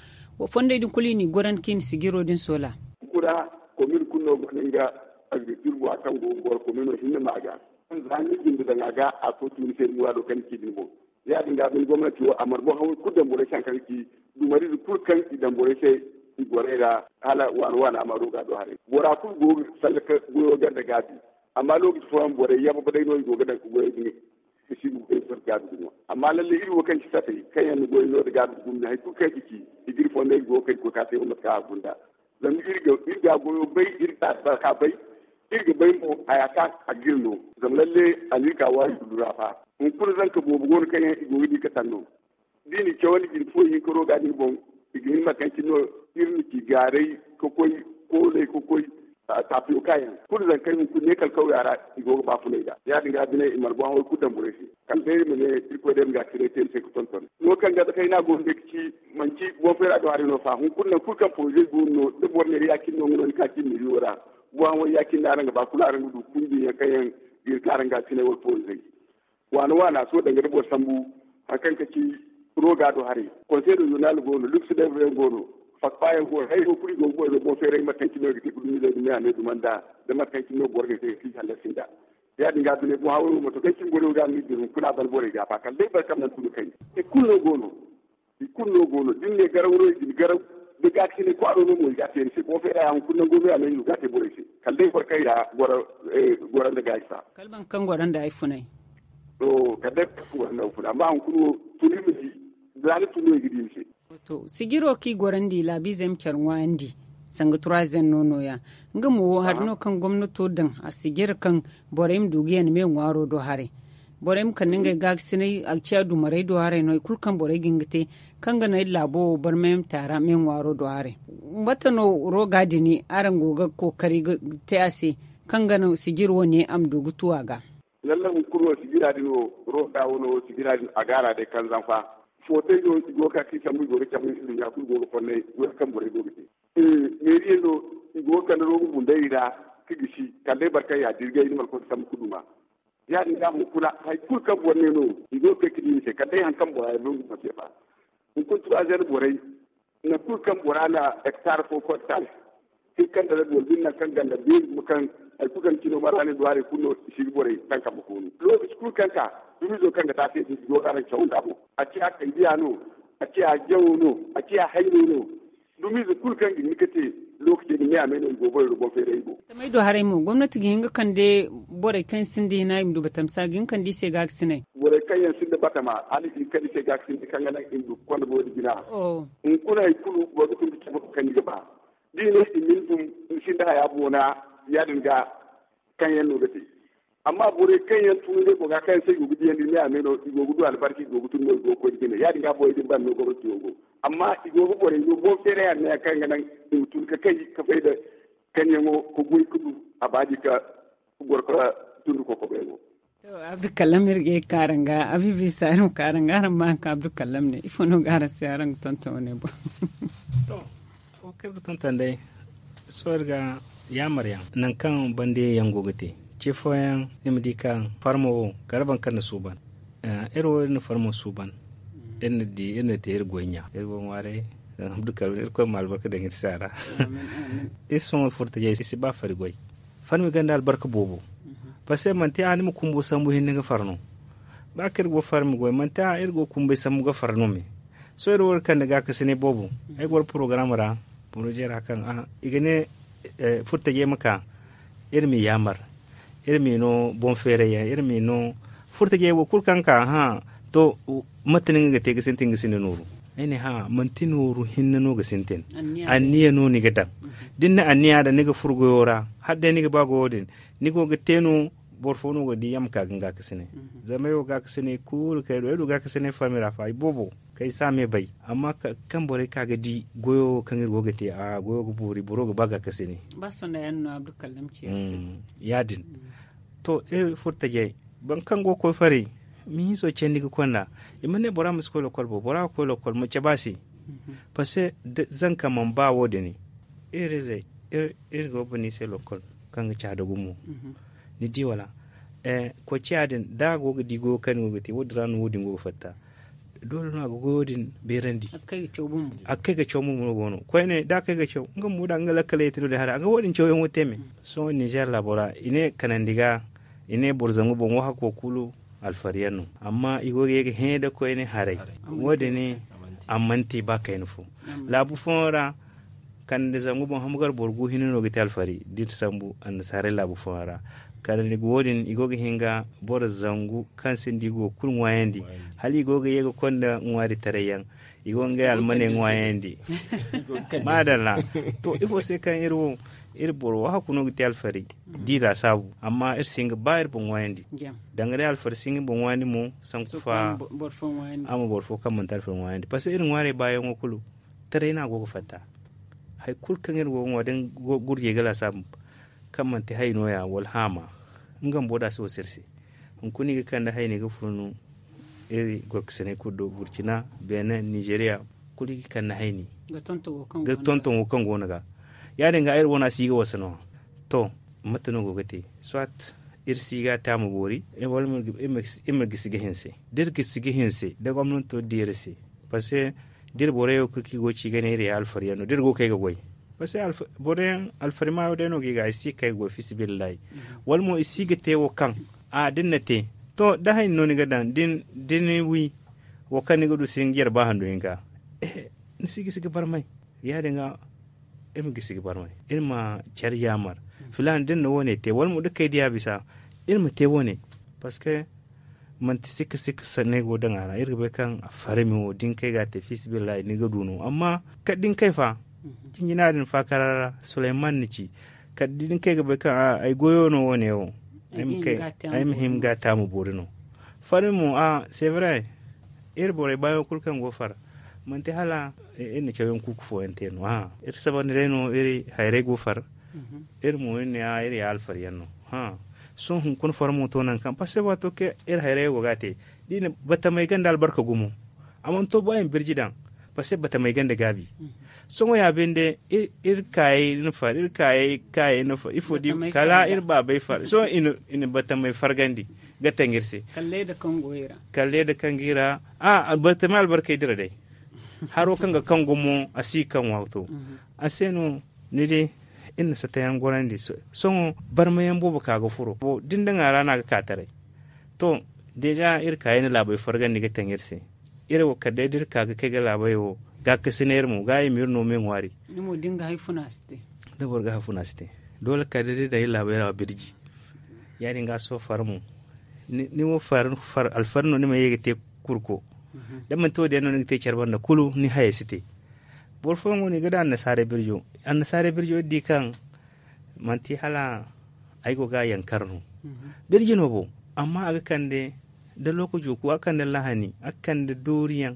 Fondey din kulu i n'i gorandi kaŋ i na sijiro din soola. Kura komin kulu no gonda nga agrikultura kaŋ go ga goro komino hinne ma ga. Za ni jinde daŋ a ga a to tuuri se ni muraado kaŋ ni ci din boŋ. Ya- din ga a bin gomnanti wo a mana boŋ haway kulu daŋ borey se hari kaŋ ga ci dumariize kulu kaŋ i daŋ borey se i gorey ra hala waana waana a ma roga do haray bora kulu go ga sallaka goyo ganda gaabi. Amma lookaci fooyaŋ borey yabba day no i go ga daŋ ka goyey din ga si ga goyey soro gaabi gumo. Amma lalle iri wo kaŋ ci satey kaŋ yaŋ na goyey no nda gaabi gumo hari kulu kaŋ i ga ci i ga iri fondey ga go ga kay ga koy ka te wo mate kaŋ a gunda. Zama iri ga goyo bay iri ga albarka bay. Iri ga bay mo haya kaŋ a ga iri no. Zama lalle a na iri ka waari kulu ra fa. Hunkuna zanka boobo go no kaŋ yaŋ i go ga di ga tanno da i na i cawandi jine fo ihinka roga din boŋ. I ga hin mate kaŋ cine no iri na ci gaaray ka koy kooley ka koy tapiyoka yaŋ kulu zankey hunkuna ne kala kawya ra. I go ga baafunay nd'a ya- din ga a bine i mana boŋ haway kulu daŋ borey se. Kala day iri ma ne irkoy day ma ga cire te iri se ga tonton no kaŋ ga da kayna go no day ga ci manti boŋ feera do haray no fa hunkuna nangu kulu kaŋ poroze go no da boro ne iri ya- cine no nga no ni ka cine ni iri wo ra. Boŋ haway ya- cine no araŋ ga ba kulu araŋ ga du kundiyaŋ kaŋ yaŋ ga iri kaŋ araŋ ga cine wala poroze. Waana waana sohõ danga da boro sambu hari kaŋ ga ci roga do haray. Konsey da zurnaal go no luks day boro yaŋ go no. Fakpa yaŋ go no hari wo kulu i go ga boro no boŋ feeray mate kaŋ cine no i ga te ga dumizey ga me a me dumanda da mate kaŋ cine no boro ga te ga si hallasi nd'a. Ya- din ga a bine boŋ haway wo mato kaŋ cine boro yaŋ ga a ma iri din hunkuna a ban borey ga a ba kala day boro kaŋ mana tun ga kay. I kulu no go no. I kulu no go no da ni ne garaw no i ga ni garaw. Da gaakasinay kwaaro no mo i ga a te ni se boŋ feera ya hunkuna nango me a no i go ga a te borey se. Kala day boro kaŋ ya goro nda gaayi fa. Kala boro kaŋ goro nda ay funay. To kala day boro kaŋ goro nda ay funay amma hunkuna wo tun i ma di. Za ni tun no i ga di ni se. To sijiro kaŋ i gorandi laabiizey ma care ŋwaayandi. Sanga turazen no nooya. Nga mo wo hari no kaŋ gomnato daŋ a sijir kaŋ borey ma du ga yaŋ me ŋwaaro do haray. Borey ma kande ngey gaakasinay a ga ciya dumarey do haray no hari kulu kaŋ borey ga hin ga te. Kaŋ ga naŋ iri laabo wo barmay ma te a ra me ŋwaaro do haray. Mate no roga din araŋ go ga kookari ga te a se kaŋ ga naŋ sijir wane a ma du ga tu a ga. Lallai hunkuna wo sijira din wo roga wano wo sijira din a gaara day kaŋ zanfa. Footay no i go ga ka ka i sambu i go ga cabu i nduɲɲa kulu go ga fonnay goy kaŋ borey go ga te. Meeriyaŋ no i go ga kande rogo bundey i ra ka gisi kala day boro kaŋ ya dirgay ni mana koy ga sambu ka duma. Ya- din ga hunkuna hari kulu kaŋ boro ne no i go ga kay ga di ni se kala day hari kaŋ bora ya no nga ma se fa. Hunkuna turazen borey nangu kulu kaŋ bora na hektar fo fo hektar. Hinka nda rabi wala binde nangu kaŋ ganda beeri gumo kaŋ hari kulu kaŋ cino mara ne duwaarey kulu no i si ga borey taŋ kambe koonu lookaci kulu kaŋ ka dumizo kaŋ ga te a se din i go ga araŋ caw nd'a boŋ. A ciya kaydiya no, a ciya jawo no, a ciya hayno no. Dumize kulu kaŋ ga hin ga te lookacey din me a me no i go borey do boŋ feeray i go. Tamey do haray mo gomnati ga hin ga kande borey kaŋ sinda hina i ma du batamsa ga hin ga kande i se gaakasinay. Borey kaŋ yaŋ sinda batama hala i ga hin ga kande i se gaakasinay kaŋ ga naŋ i ma du ga konda boro din jina. Hunkuna hari kulu boro ga tun ga cabe kande ga ba da i ne i ma ni dum ni sinda haya boona. Ya- din ga kaŋ yaŋ no ga te. Amma borey kaŋ yaŋ tun ngey boŋ ga kaŋ yaŋ se i go ga diyandi ne a me no i go ga du albarka i go ga tun no i go ga koy ga jine ya- din ga borey din banda no gomnati wo go. Amma i go ga borey no boŋ feeray anniya kaŋ ga naŋ i ma tun ga kay ga fay nda kaŋ yaŋo ga goy ga du a baadi ga goro ga tun nda kokobo yaŋo. To abdukalam iri ga ye ga ka araŋ ga abibi saari ma ka araŋ ga araŋ ma haŋ kaŋ abdukalam ne ifo no ga araŋ se araŋ ga tonton wane boŋ? To wo kaŋ iri ga tonton day sohõ iri ga yaamar yaŋ nangu kaŋ bande yaŋ go ga te ce fooyaŋ ni ma di kaŋ farmo wo kala boro kaŋ na suuban. Iri wo iri na farmo suuban iri na di iri na te iri goy ɲa iri go ŋwaaray. Abdukalam irkoy ma albarka daŋ iri se a ra. Iri sohõ furtajey i si ba fari goy. Farmi gonda albarka boobo. Parce que manti a ni ma kumbo sambu hinne ga far no. Ba kaŋ iri go farmi goy manti a iri go kumbay sambu ga far no me. Sohõ iri wo iri kande gaakasinay boobo ay goro porogaram ra. Poroze ra kaŋ i ga ne furtajey ma ka iri m'i yaamar. Iri m'i no boŋ feeray yaŋ iri m'i no furtajey wo kulu kaŋ ka hã. To mate no nga ga te ga sintin ga sinda nooru? Ay ne hã manti nooru hinne no ga sintin. Anniya no ni ga daŋ. Da ni na anniya daŋ ni ga furo goyo ra hala day ni ga ba goyo din ni go ga te no. Boro fo no ga di yaŋ ma ka ga ni gaakasinay. Zama ay wo gaakasinay kulu kaŋ ay du ay du gaakasinay farmi ra fa ay boobo kaŋ ay si a me bay. Amma kaŋ borey ka ga di goyo kaŋ iri go ga te a goyo ga boori boro ga ba gaakasinay. Ba sonda yaŋ no abdukallam ci iri se. Ya- din to iri furtajey boro kaŋ go ga koy faray. Mihiiso candi ga konda i ma ne bora ma si koy lokol bo bora ga koy lokol ma cabe a se. Parce que zanka mana ba wo- din iri izey iri go ga ba no i se lokol kaŋ ga caada gumo. Ni di wala? Koy ciya din da a go ga di goyo kaŋ ni go ga te wo- din ra no wo- din go ga fatta. Doole no a ga goyo din beerandi. A ga kay ga caw bumbo no go no koyne da a kay ga caw nga bumbo da nga lakkaley te no day haray a ga wo- din cawyaŋo te me. Sohõ ninzeer laabo ra i ne kanandi ga I ne boro zangu boŋ wo hakko kulu alfariyaŋ no. Amma i go ga ye ga hẽ da koyne haray. Wo- din a manti ba kayna fo. Laabu fooyaŋ ra kande zangu boŋ hamgar boro gu hinne no ga te alfari da iri sambu annasaarey laabu fooyaŋ ra. Kala ni ga wo- din i go ga hin ga boro zangu kaŋ se ni di go ga kulu ŋwaayandi. Hala i go ga ye ga konda ŋwaari taray yaŋ, i go ga ngey almaney ŋwaayandi. Maadalla. To ifo se kaŋ iri wo iri boro wo hakku no ga te alfari da i laasaabu. Amma iri si hin ga ba iri boŋ ŋwaayandi. Danga day alfari si hin ga boŋ ŋwaayandi mo sanku fa a ma boro fo kaŋ manti alfari ŋwaayandi parce que iri ŋwaarey baayaŋo kulu taray no a go ga fatta. Hari kulu kaŋ iri go ga ŋwa da gurjey ga laasaabu kaŋ manti hay nooya wala haama, nga bumbo da a si wasu iri se. Hunkuna i ga kande hayni ga funu iri gorkasiney kulu do burcina, benin, nizeriya, kulu i ga kande hayni ga tonton wo kaŋ go no ga. Ya- din ga iri wane a si ga wasa no. To, mate no go ga te? Soit iri si ga a te a ma boori, wala iri ma gisi ga hinse. Da iri gisi ga hinse da gomnanto di iri se. Parce que da iri borey wo kulu kaŋ i go ga ci ga ne iri ya alfariyaŋ no da iri go ga kay ga goy. Parce que borey yaŋ alfari maayo day no ga i ga i si ga kay ga goy fiisabilillahi. Wala mo i si ga te wo kaŋ a da ni na te, to da hayni no ni ga daŋ da ni wi wo kaŋ ni ga du si ni ga jare ba handu hinka. Ni si gisi ga barmay. Ya- din ga iri ma gisi ga barmay, iri ma care yaamar. Filaana da ni na wo- ne te wala mo da kay diya bisa, iri ma te wo- ne. Parce que manti sikka sikka sanney go daŋ a ra iri ga bay kaŋ a farmi wo da ni kay ga a te fiisabilillahi ni ga du no amma kala da ni kay fa, jinjina din faakara ra suleyman ni ci. Kala da ni kay ga bay kaŋ ay goyo no wo- ne wo. Ay ma hin ga a te a ma boori no. Farmi mo a c'est vrai. Iri borey baayaŋo kulu kaŋ go ga far manti hala iri na cawyaŋ kuuku fooyaŋ te no. Iri sabandi day no iri hayray go ga far. Iri mo iri ne iri ya alfariyaŋ no. Sohõ hunkuna farmo to nangu kaŋ parce que waato kaŋ iri hayrayo go ga a te da i na batamey ganda albarka gumo. A mana to ba i ma birji daŋ. Parce que batamey ganda gaabi. Sohõ ya binde iri kaayey na far iri kaayey kaayey na far ifo di kala iri baabey far sohõ i na batamey fargandi ga taŋ iri se. Kala leeda kaŋ go i ra a albartamey albarkey dira day. Haro kaŋ ga kaŋ gumo a si ga kaŋ waato. A se no ni di iri na satayaŋ gorandi. Sohõ barmayaŋ boobo ka ga furo da ni daŋ a ra no a ga ka taray. To, deja iri kaayey na laabey fargandi ga taŋ iri se. Iri wo kala day da iri ka ga kay ga laabey wo gaakasinay iri mo ga i ma iri no me ŋwaari. Da boro ga hafuna si te. Doole kala day da iri daŋ iri laabey ra birji. Ya- din ga sohõ far mo ni wo far alfari no ni ma ye ga te kurko. Da manti wo- din yaŋ no ni ga te care banda kulu ni hayey si te. Boro fooyaŋ go no i ga daŋ annasaarey birjo. Annasaarey birjo iri di kaŋ manti hala ay go ga a yankar no. Birji no bo. Amma a ga kande da lookaco ku a ga kande lahani a ga kande dooriyaŋ.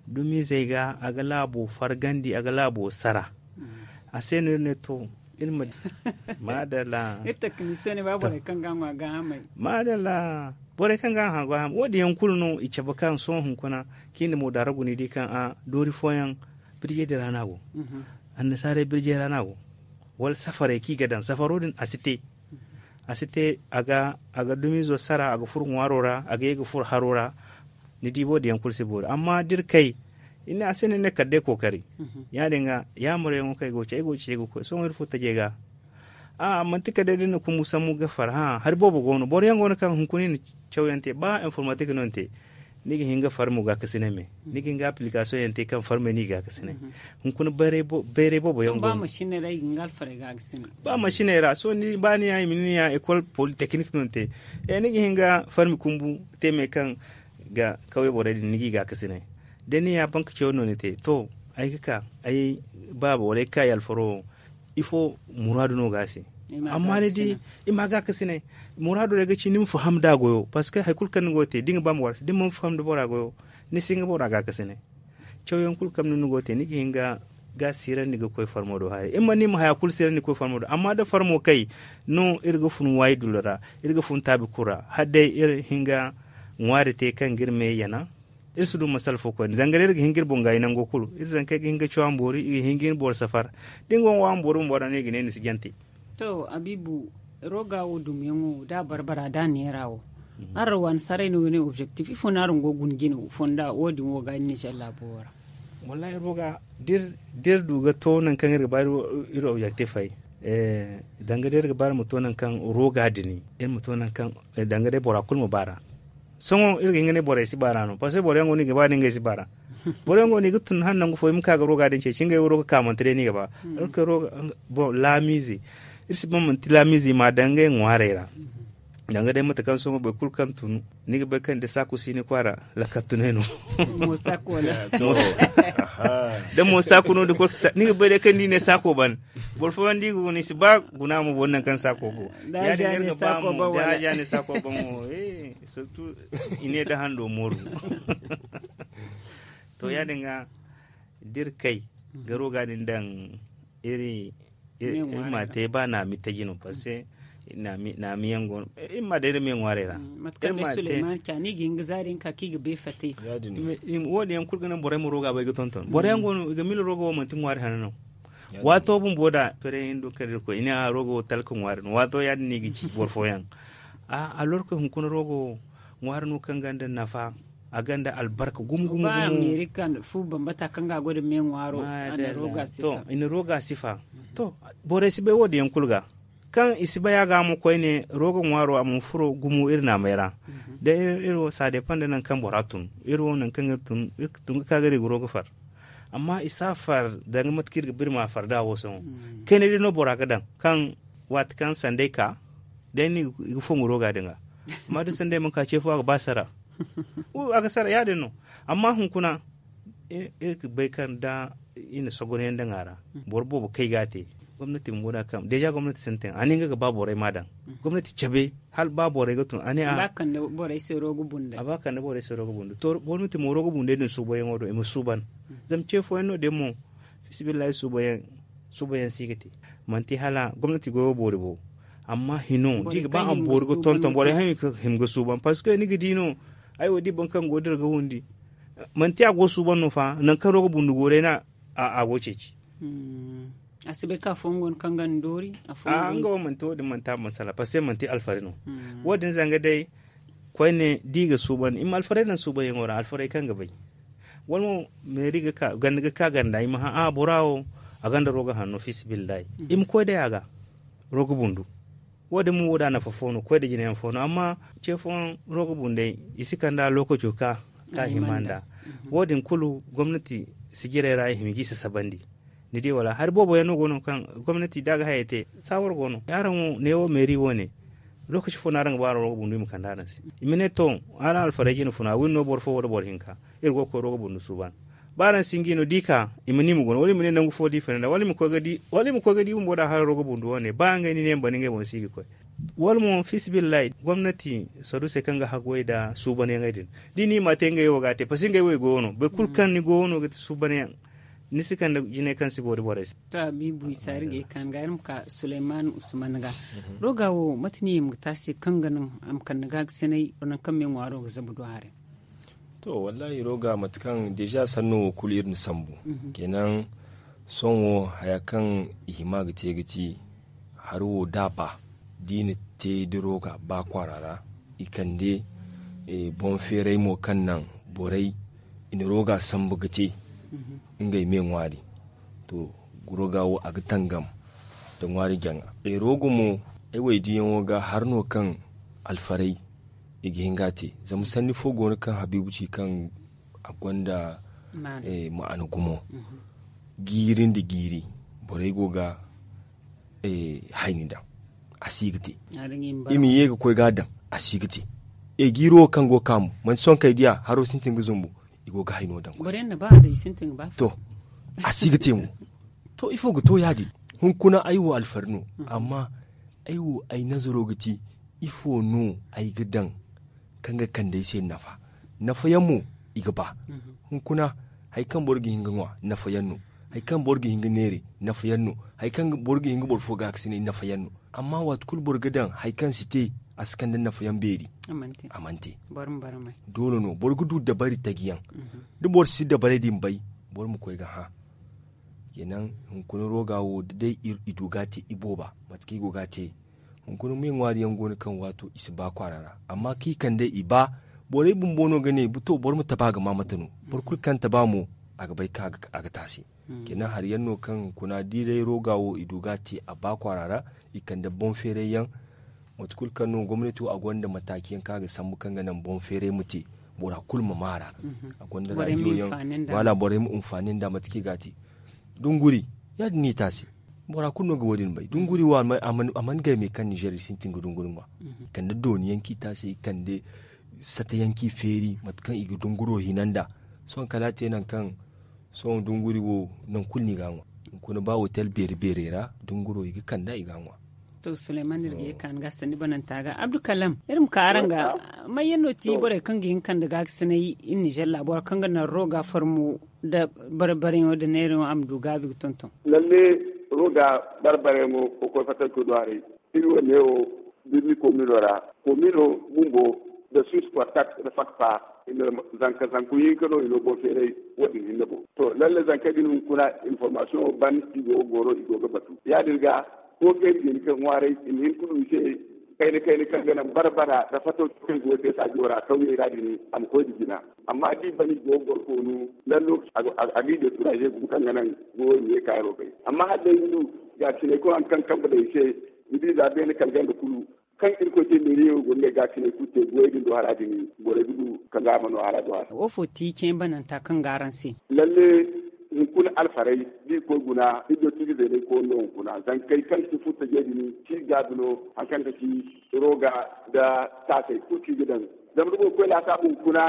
Dumizey ga a ga laabo fargandi a ga laabo sara. A se no iri ne to iri ma di. Maadalla. Iri taknisiyoŋ ne ba borey kaŋ ga a ŋwa gaahamey. Maadalla. Borey kaŋ ga a ŋwa gaahamey wo- din yaŋ kulu no i cabe kaŋ sohõ hunkuna kaŋ i na moodaara guna i di kaŋ a doori fooyaŋ birjey din ra no a go. Annasaarey birjey ra no a go. Wala safarey kaŋ i ga daŋ safaro din a si te. A si te a ga dumiizo sara a ga furo ŋwaaro ra a ga ye ga furo haro ra. Ni di wo- din yaŋ kulu si boori amma da iri kay iri ne a se no iri ne kala day kookari. Ya- din ga yaamaryaŋo kaŋ ay go ga ci ay go ga ci ay ga koy sohõ iri fo tajey ga. A'a manti kala day da iri na kumbu sambu ga far hã hari boobo go no boro yaŋ go no kaŋ hunkuna i na cawyaŋ te ba informatik no ni te. Ni ga hin ga farmo gaakasinay me ni ga hin ga application yaŋ te kaŋ farmey no i gaakasinay. Hunkuna bayray boobo yaŋ go no. Ba masiney ra sohõ ni ba ni ya i ma ni ya école polytechnique no ni te. Ni ga hin ga farmi kumbu te me kaŋ ga kawye borey din ni g'i gaakasinay. Da ni ya banka caw no ni te to ay ga ka ay baaba wala ay ga ka ay alfaro wo ifo muraadu no ga a se. Amma ni di i ma gaakasinay muraado day ga ci ni ma faham da goyo parce que hari kulu kaŋ ni go ga te da ni ga ba ma war se da ni mana faham da bora goyo ni si hin ga bora gaakasinay. Cawyaŋ kulu kaŋ ni go ga te ni ga hin ga ga siirandi ga koy farmo do haray iri mana ni ma haya kulu siirandi ga koy farmo do amma da farmo kay no iri ga fun waayi dullo ra iri ga fun taabi kulu ra hala day iri hin ga ŋwaari te kaŋ ga iri me yana. Iri si du masala fo koyne zanga day iri ga hin ga iri boŋ gaayi nango kulu iri zankey ga hin ga caw a ma boori i ga hin ga iri boro safar. Da ni go ga ŋwa a ma boori bumbo ra no i ga ne ni si jante. To abiibu, roga wo dumiyaŋo da a barbara da a neera wo araŋ waani saray no ga ne objectif ifo no araŋ go ga guna jine fonda wo- din wo ga ni na calla boro ra? Wallahi roga da iri du ga to nangu kaŋ iri ga ba iri objectif ay Danga day iri ga ba iri ma to nangu kaŋ roga din iri ma to nangu kaŋ danga day bora kulu ma baara. Sohõ iri ga hin ga ne borey si baara no parce que boro yaŋ go no i ga ba da ngey si baara. Boro yaŋ go no i ga tun hala nangu fo i ma ka ga roga din ceeci ngey wo roga kaamante day no i ga ba. Laamiize iri si ba manti laamiize i ma a daŋ ngey ŋwaarey ra. Danga day mate kaŋ sohõ boro kulu kaŋ tun ni ga bay kaŋ da saako si ni kwaara. Lakkal tunay no. Da mo saako no da ni ga bay day kaŋ da i ne saako ban. Boro fooyaŋ da i ga guna i si ba guna mo boro nangu kaŋ saako go. Ya- din ga iri ga ba mo da haja ne saako ban wo. Surtout i ne da hando mooru. To ya- din ga da iri kay ga roga din daŋ iri ma te ba naami taji no parce que naami yaŋ go no iri ma day iri me ŋwaarey ra. Mate kaŋ day suleymani ca ni ga hin ga zaari nga ka kaŋ i ga bay fate. Wo- din yaŋ kulu ga naŋ borey ma roga bay ga tonton boro yaŋ go no i ga mila roga wo manti ŋwaari hana no. Waato bumbo da fere hindu kaŋ iri koy i ne a roga wo talka ŋwaari no waato ya- din no i ga ci boro fooyaŋ. A lorko hunkuna roga wo ŋwaari no kaŋ gonda nafa. A gonda albarka gumo gumo gumo. Meeri kaŋ fu bambata kaŋ ga a goy nda me ŋwaaro. I na roga sifa. To borey si bay wo- din yaŋ kulu ga kaŋ i si bay a ga mo koyne roga ŋwaaro a mana furo gumo iri naamey ra. Da iri wo ça dépend da nangu kaŋ bora tun iri wo nangu kaŋ iri tun iri ga tun ga ka ga iri ga roga far. Amma i si a far danga mate kaŋ iri ga ba iri ma a far da wo sohõ. Kayna day no bora ga daŋ kaŋ waati kaŋ sanday ka day no i ga fongu roga din ga. Amma da sanday mana ka ce fo a ga ba sara. A ga sara ya- din no. Amma hunkuna iri ga bay kaŋ da i na sogonayaŋ daŋ a ra boro boobo kay ga a te. Gomnati bumbo da kaŋ deja gomnati sintin a ne nga ga ba borey ma a daŋ. Gomnati cabe hala ba borey ga tun a ne a ba kande borey se roga bunday to gomnati mo roga bunday din suubanyaŋo do i ma suuban. Zama ce fooyaŋ no- din mo fisibillahi suubanyaŋ si ga te. Manti hala gomnati goyo boori bo. Amma hino da i ga ba a ma boori ga tonton borey haŋ i ga hima ga suuban parce que ni ga di no. Ay wo da i boro kaŋ go dira ga wundi manti a go suuban no fa nangu kaŋ roga bundu go day no a go ceeci. A si bay kaŋ afooyaŋ go no kaŋ ga ni doori. Nga wo manti wo- din manti a masala parce que manti alfari no. Wo- din zanga day koyne da i ga suuban i ma alfarey daŋ suubanyaŋo ra alfarey kaŋ ga bay. Wala mo meeri ga ka ganda i ma hã a bora wo a gonda roga hanno fisibillahi. I ma koy day a ga roga bundu. Wo- din mo wo- da nafa fo no koy da jinayaŋ fo no amma ce fooyaŋ roga bundey i si kand'a lookaco ka ka hima nd'a. Wo- din kulu gomnati sijirey ra i hima ga i sasabandi. Ni di wala hari boobo yaŋ no go no kaŋ gomnati da a ga hayey te saawar go no araŋ wo neewo meeri wo- ne. Lookaci fo no araŋ ga ba araŋ roga bundu i ma kande araŋ se. I ma ne to araŋ alfarey jine funa wine no boro fo wala boro hinka iri go ga koy roga bundu suuban. Ba araŋ singi no da i ka i ma ne i ma guna wala i ma ne nangu fo da i fina nd'a wala i ma koy ga di bumbo da hara roga bundu wo- ne ba ngey no i ne i ma ban ngey boŋ se i ga koy. Wala mo fisibillahi gomnati saruusey kaŋ ga haggoy nda suubanyaŋey din da i ne i m'a te ngey wo ga a te parce que ngey wo i go no boro kulu kaŋ ni go no ga ti suubanyaŋ. Ni si kande jinay kaŋ si boori borey se. To a biibu isa iri ga ye kaani ga iri ma ka suleyman usman ga. Roga wo mate no i hima ga te a se kaŋ ga naŋ a ma kande ga ga sinay nangu kaŋ me ŋwaaro ga zabu do haray. To wallahi roga mate kaŋ deja sanno wo kulu iri na sambu. Kenan sohõ wo haya kaŋ i hima ga te ga ti hari wo da a ba da i na te da roga ba kwaara ra i kande boŋ feeray mo kaŋ naŋ borey i na roga sambu ga te ngey me ŋwaari. To roga wo a ga tangam nda ŋwaari jaŋa roga mo ay wo ay diyaŋo ga hari no kaŋ alfarey i ga hin ga a te zama sanni fo go no kaŋ habiibu ci kaŋ a gonda ma'ana gumo. Jiiri nda jiiri borey go ga hayni daŋ a si ga te. I ma ye ga koy ga a daŋ a si ga te. Jiiri wo kaŋ go ga ka mo manti sohõ kaŋ ay diya haro sintin ga zumbu i go ga hayno daŋ. To a si ga te mo. To ifo ga to ya- din? Hunkuna ay wo alfari no amma ay wo ay nazaro ga ti ifo no ay ga daŋ kaŋ ga kande ay se nafa? Nafa yaŋ mo i ga ba. Hunkuna hari kaŋ boro ga hin ga ŋwa nafa yaŋ no. Hari kaŋ boro ga hin ga neere nafa yaŋ no. Hari kaŋ boro ga hin ga boro fo gaakasinay nafa yaŋ no. Amma waati kulu boro ga daŋ hari kaŋ si te a si kande nafa yaŋ beeri. A mana te. Doole no boro ga du dabari taji yaŋ. Da boro si dabarey din bay boro ma koy ga hã. Kenan hunkuna roga wo da day i du ga a te ibooba mate kaŋ i go ga a te. Hunkuna me ŋwaari yaŋ go no kaŋ waato i si ba kwaara ra amma kaŋ i kande i ba borey bumbo no ga ne to boro ma taba ga ma mate no. Boro kulu kaŋ taba mo a ga bay kaŋ a ga taasi. Kenan hari yaŋ no kaŋ kuna da i day roga wo i du ga a te a ba kwaara ra. I kande boŋ feeray yaŋ, mate kulu kaŋ no gomnati wo a gonda mataaci yaŋ kaŋ a ga sambu kaŋ ga naŋ boŋ feeray ma te, bora kulu ma maara. A gonda raadiyo yaŋ, wala borey ma hinfaani nda mate kaŋ i ga a te. Dunguri, ya- din no i taasi. Bora kulu no ga wo- din bay. Dunguri wo a mana gay me kaŋ ninzeer i sintin ga dunguri ŋwa. Kande dooni yaŋ kaŋ i taasi i kande sata yaŋ kaŋ i feeri mate kaŋ i ga dunguro hina nda. Sohõ kala a te nangu kaŋ sohõ dunguri wo nangu kulu no i ga a ŋwa. Hunkuna ba hotel beeri beerey ra dunguro i ga kand'a i ga a ŋwa. To suleyman iri ga ye ka ni ga sanni bananta ga abdukalam iri ma ka araŋ ga. May yaŋ no ti borey kaŋ ga hin kande ga ga sinay iri ninzeer laabo ra kaŋ ga naŋ roga farmo nda barbaryaŋo nda neeraŋo a ma du gaabi ga tonton? Lalle, roga barbaryaŋo ga koy fattankey do haray. Iri wo neewo birni komino ra, komino bumbo nda suisse quartat nda fakpa, zanka zanku hinka no i no boŋ feeray. Wo- din hinne boŋ to lalle zankey din hunkuna information ban i go ga goro i go ga batu ya- din ga. Kookey din kaŋ ŋwaaray i ma hin ka du i se kayna kayna kaŋ ga naŋ barbara nda fato kaŋ go te saajo ra kawyey ra din a ma koy nda jina. Amma da i ban i go ga goro koonu lalla lokaci a ga i dekuraaze gumo kaŋ ga naŋ go i ma ye kaaro bay. Amma hala day ni du gaasinay kulu hari kaŋ kambe daŋ i se, ni di za beene kala ganda kulu kaŋ irkoy te meeriyaŋo go ngey gaasinay kulu te goyey din do hara din borey ga du kaŋ ga a ma no hara do hara. Woofo ti ceeyaŋ bananta kaŋ ga araŋ se? Lalle, hunkuna alfarey da i koy guna iri do ti ga zeenay koonu no hunkuna zankey kaŋ si furtajey din si gaabi no hari kaŋ ga ci roga nda taasey kulu kaŋ i ga daŋ. Zama da boro koy laasaabu hunkuna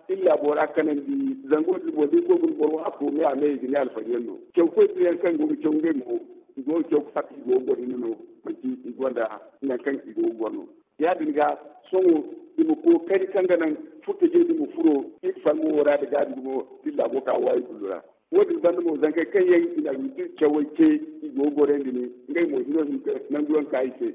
iri laabo ra kanandi zango din boŋ da iri koy guna boro wo a koome a me i ga ne alfari yaŋ no. Caw koy din yaŋ kaŋ go ga caw ngey mo i go ga caw ga fatta i go ga goro hinne no. Manti i gonda nangu kaŋ i go ga goro no. Ya- din ga sohõ i ma kookari kaŋ ga naŋ furtajey din ma furo iri farmo wo ra nda gaabi gumo da iri laabo ka waayi kulu ra. Wo- din banda mo zankey kaŋ yaŋ i na agriculture cawey te i go ga goroyandi ne ngey mo hino hinka nangu yaŋ ka i se.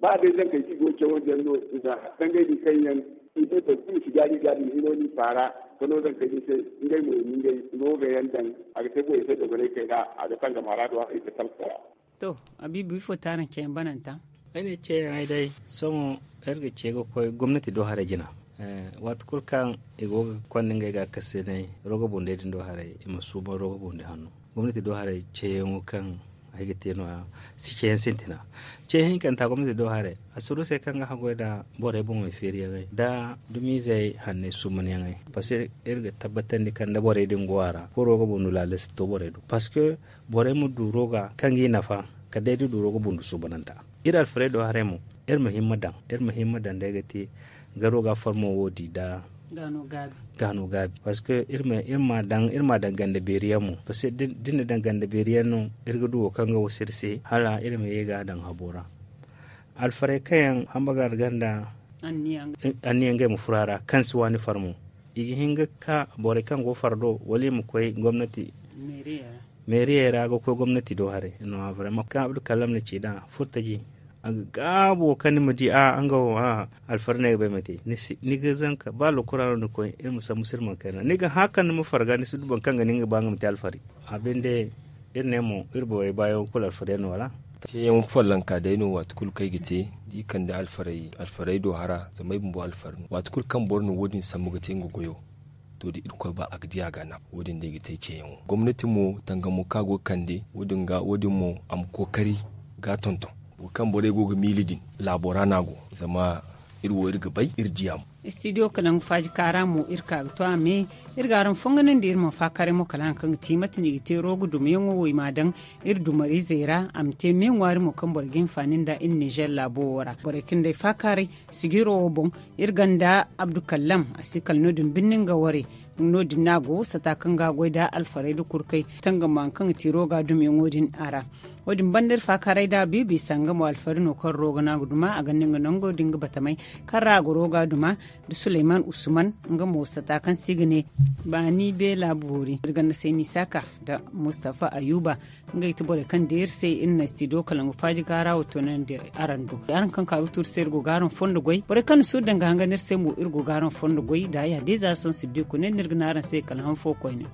Ba day zankey kaŋ i go ga cawandi yaŋ no i na dangay din kaŋ yaŋ i ne boro kulu si gaari gaari ma hino no i faara ka no zankey din se. Ngey mo i ma ngey roga yaŋ daŋ a ga te borey se dogonay kayna a ga tangam hara do haray i ga talka ra. To, abiibu ifo ti araŋ ceeyaŋ bananta? Ay ne ceeyaŋey day sohõ iri ga ce ga koy gomnati do haray jina. Waati kulu kaŋ i go ga konda ngey ga kasinay roga bundey din do haray i ma suuban roga bundi hanno. Gomnati do haray ceeyaŋo kaŋ ay ga te no- ya si ceeyaŋ sintina. Ceeyaŋ hinkanta gomnati do haray a si du se kaŋ ga haggoy nda borey boŋey feeriyaŋey nda dumizey hanney suumanyaŋey. Parceque iri ga tabbatandi kaŋ da borey din go a ra kulu roga bundu laala si to borey do parceque borey ma du roga kaŋ ga i nafa kala day da du roga bundu suubananta. Iri alfarey do haray mo iri ma himma daŋ iri ma himma daŋ day ga te garo ga farmo wo di nda gaano gaabi. Parceque iri ma daŋ ganda beeri yaŋ mo parceque da ni na daŋ ganda beeri yaŋ no iri ga du wo kaŋ ga wasu iri se hala iri ma ye ga a daŋ habo ra. Alfarey kaŋ yaŋ hamba ga alganda anniya ngey ma furo a ra kaŋ si waani farmo i ga hin ga ka borey kaŋ go fardo wala i ma koy gomnati meeriyey ra ga koy gomnati do haray no a vraiment kaŋ abdu kallam na ci nd'a furtaji a ga gaabo kaŋ ni ma di a nga wo a alfari no ay ga bay ma te ni ga zanka ba lokora no ni koy iri ma sambu sirman kayna ni ga hã kaŋ ni ma farga ni si du boro kaŋ ga ne nga ba nga ma te alfari. A binde iri ne mo iri borey baayaŋo kulu alfari yaŋ no wala? Teeyaŋ follonka day no waati kulu kaŋ ay ga te da i kande alfarey do hara zama ay bumbo alfari no waati kulu kaŋ boro na wo- din sambu ga te nga goyo. To da irkoy ba a ga di a ga a nafa wo- din day ga te ceeyaŋo gomnati mo tangamo kaŋ a go ga kande wo- din ga wo- din mo a ma kookari ga a tonton wo kaŋ borey go ga miila din laabo ra no a go. Zama iri wo iri ga bay iri di a mo. Studio kalaŋ faaji kaara mo iri ka ga to a me iri ga araŋ fonganandi iri ma faakaaray mo kala hari kaŋ ga te mate no i ga te roga dumayaŋo wo i m'a daŋ iri dumariizey ra a ma te me ŋwaari mo kaŋ boro ga hinfaani nda iri ninzeer laabo wo ra borey kaŋ day faakaaray sijiro wo boŋ. Iri ganda abdukallam a si kala no- din birni nga warey. No- din no a go sata kaŋ ga a goy nda alfarey nda kurkey tangam hari kaŋ ga te roga dumayaŋo din a ra. Wo- din banda iri faakaaray nda a biibi sanga mo alfari no kaŋ roga no a ga duma a ganda nga nango nda nga batamey kaŋ ra a ga roga duma nda suleyman usman. Nga mo sata kaŋ se i ga ne baani beela boori iri ganda sayni saaka nda mustafa ayuba. Ngey ti borey kaŋ deeri se iri na studio kalaŋ ga faaji gaara wo toonandi araŋ do araŋ kaŋ ka ga tuuri se iri go ga araŋ fondo goy borey kaŋ na suuru daŋ ga hangan iri se mo iri go ga araŋ fondo goy da ya day za sohõ siddiku ne no iri ga ne araŋ se kala han fo koyne.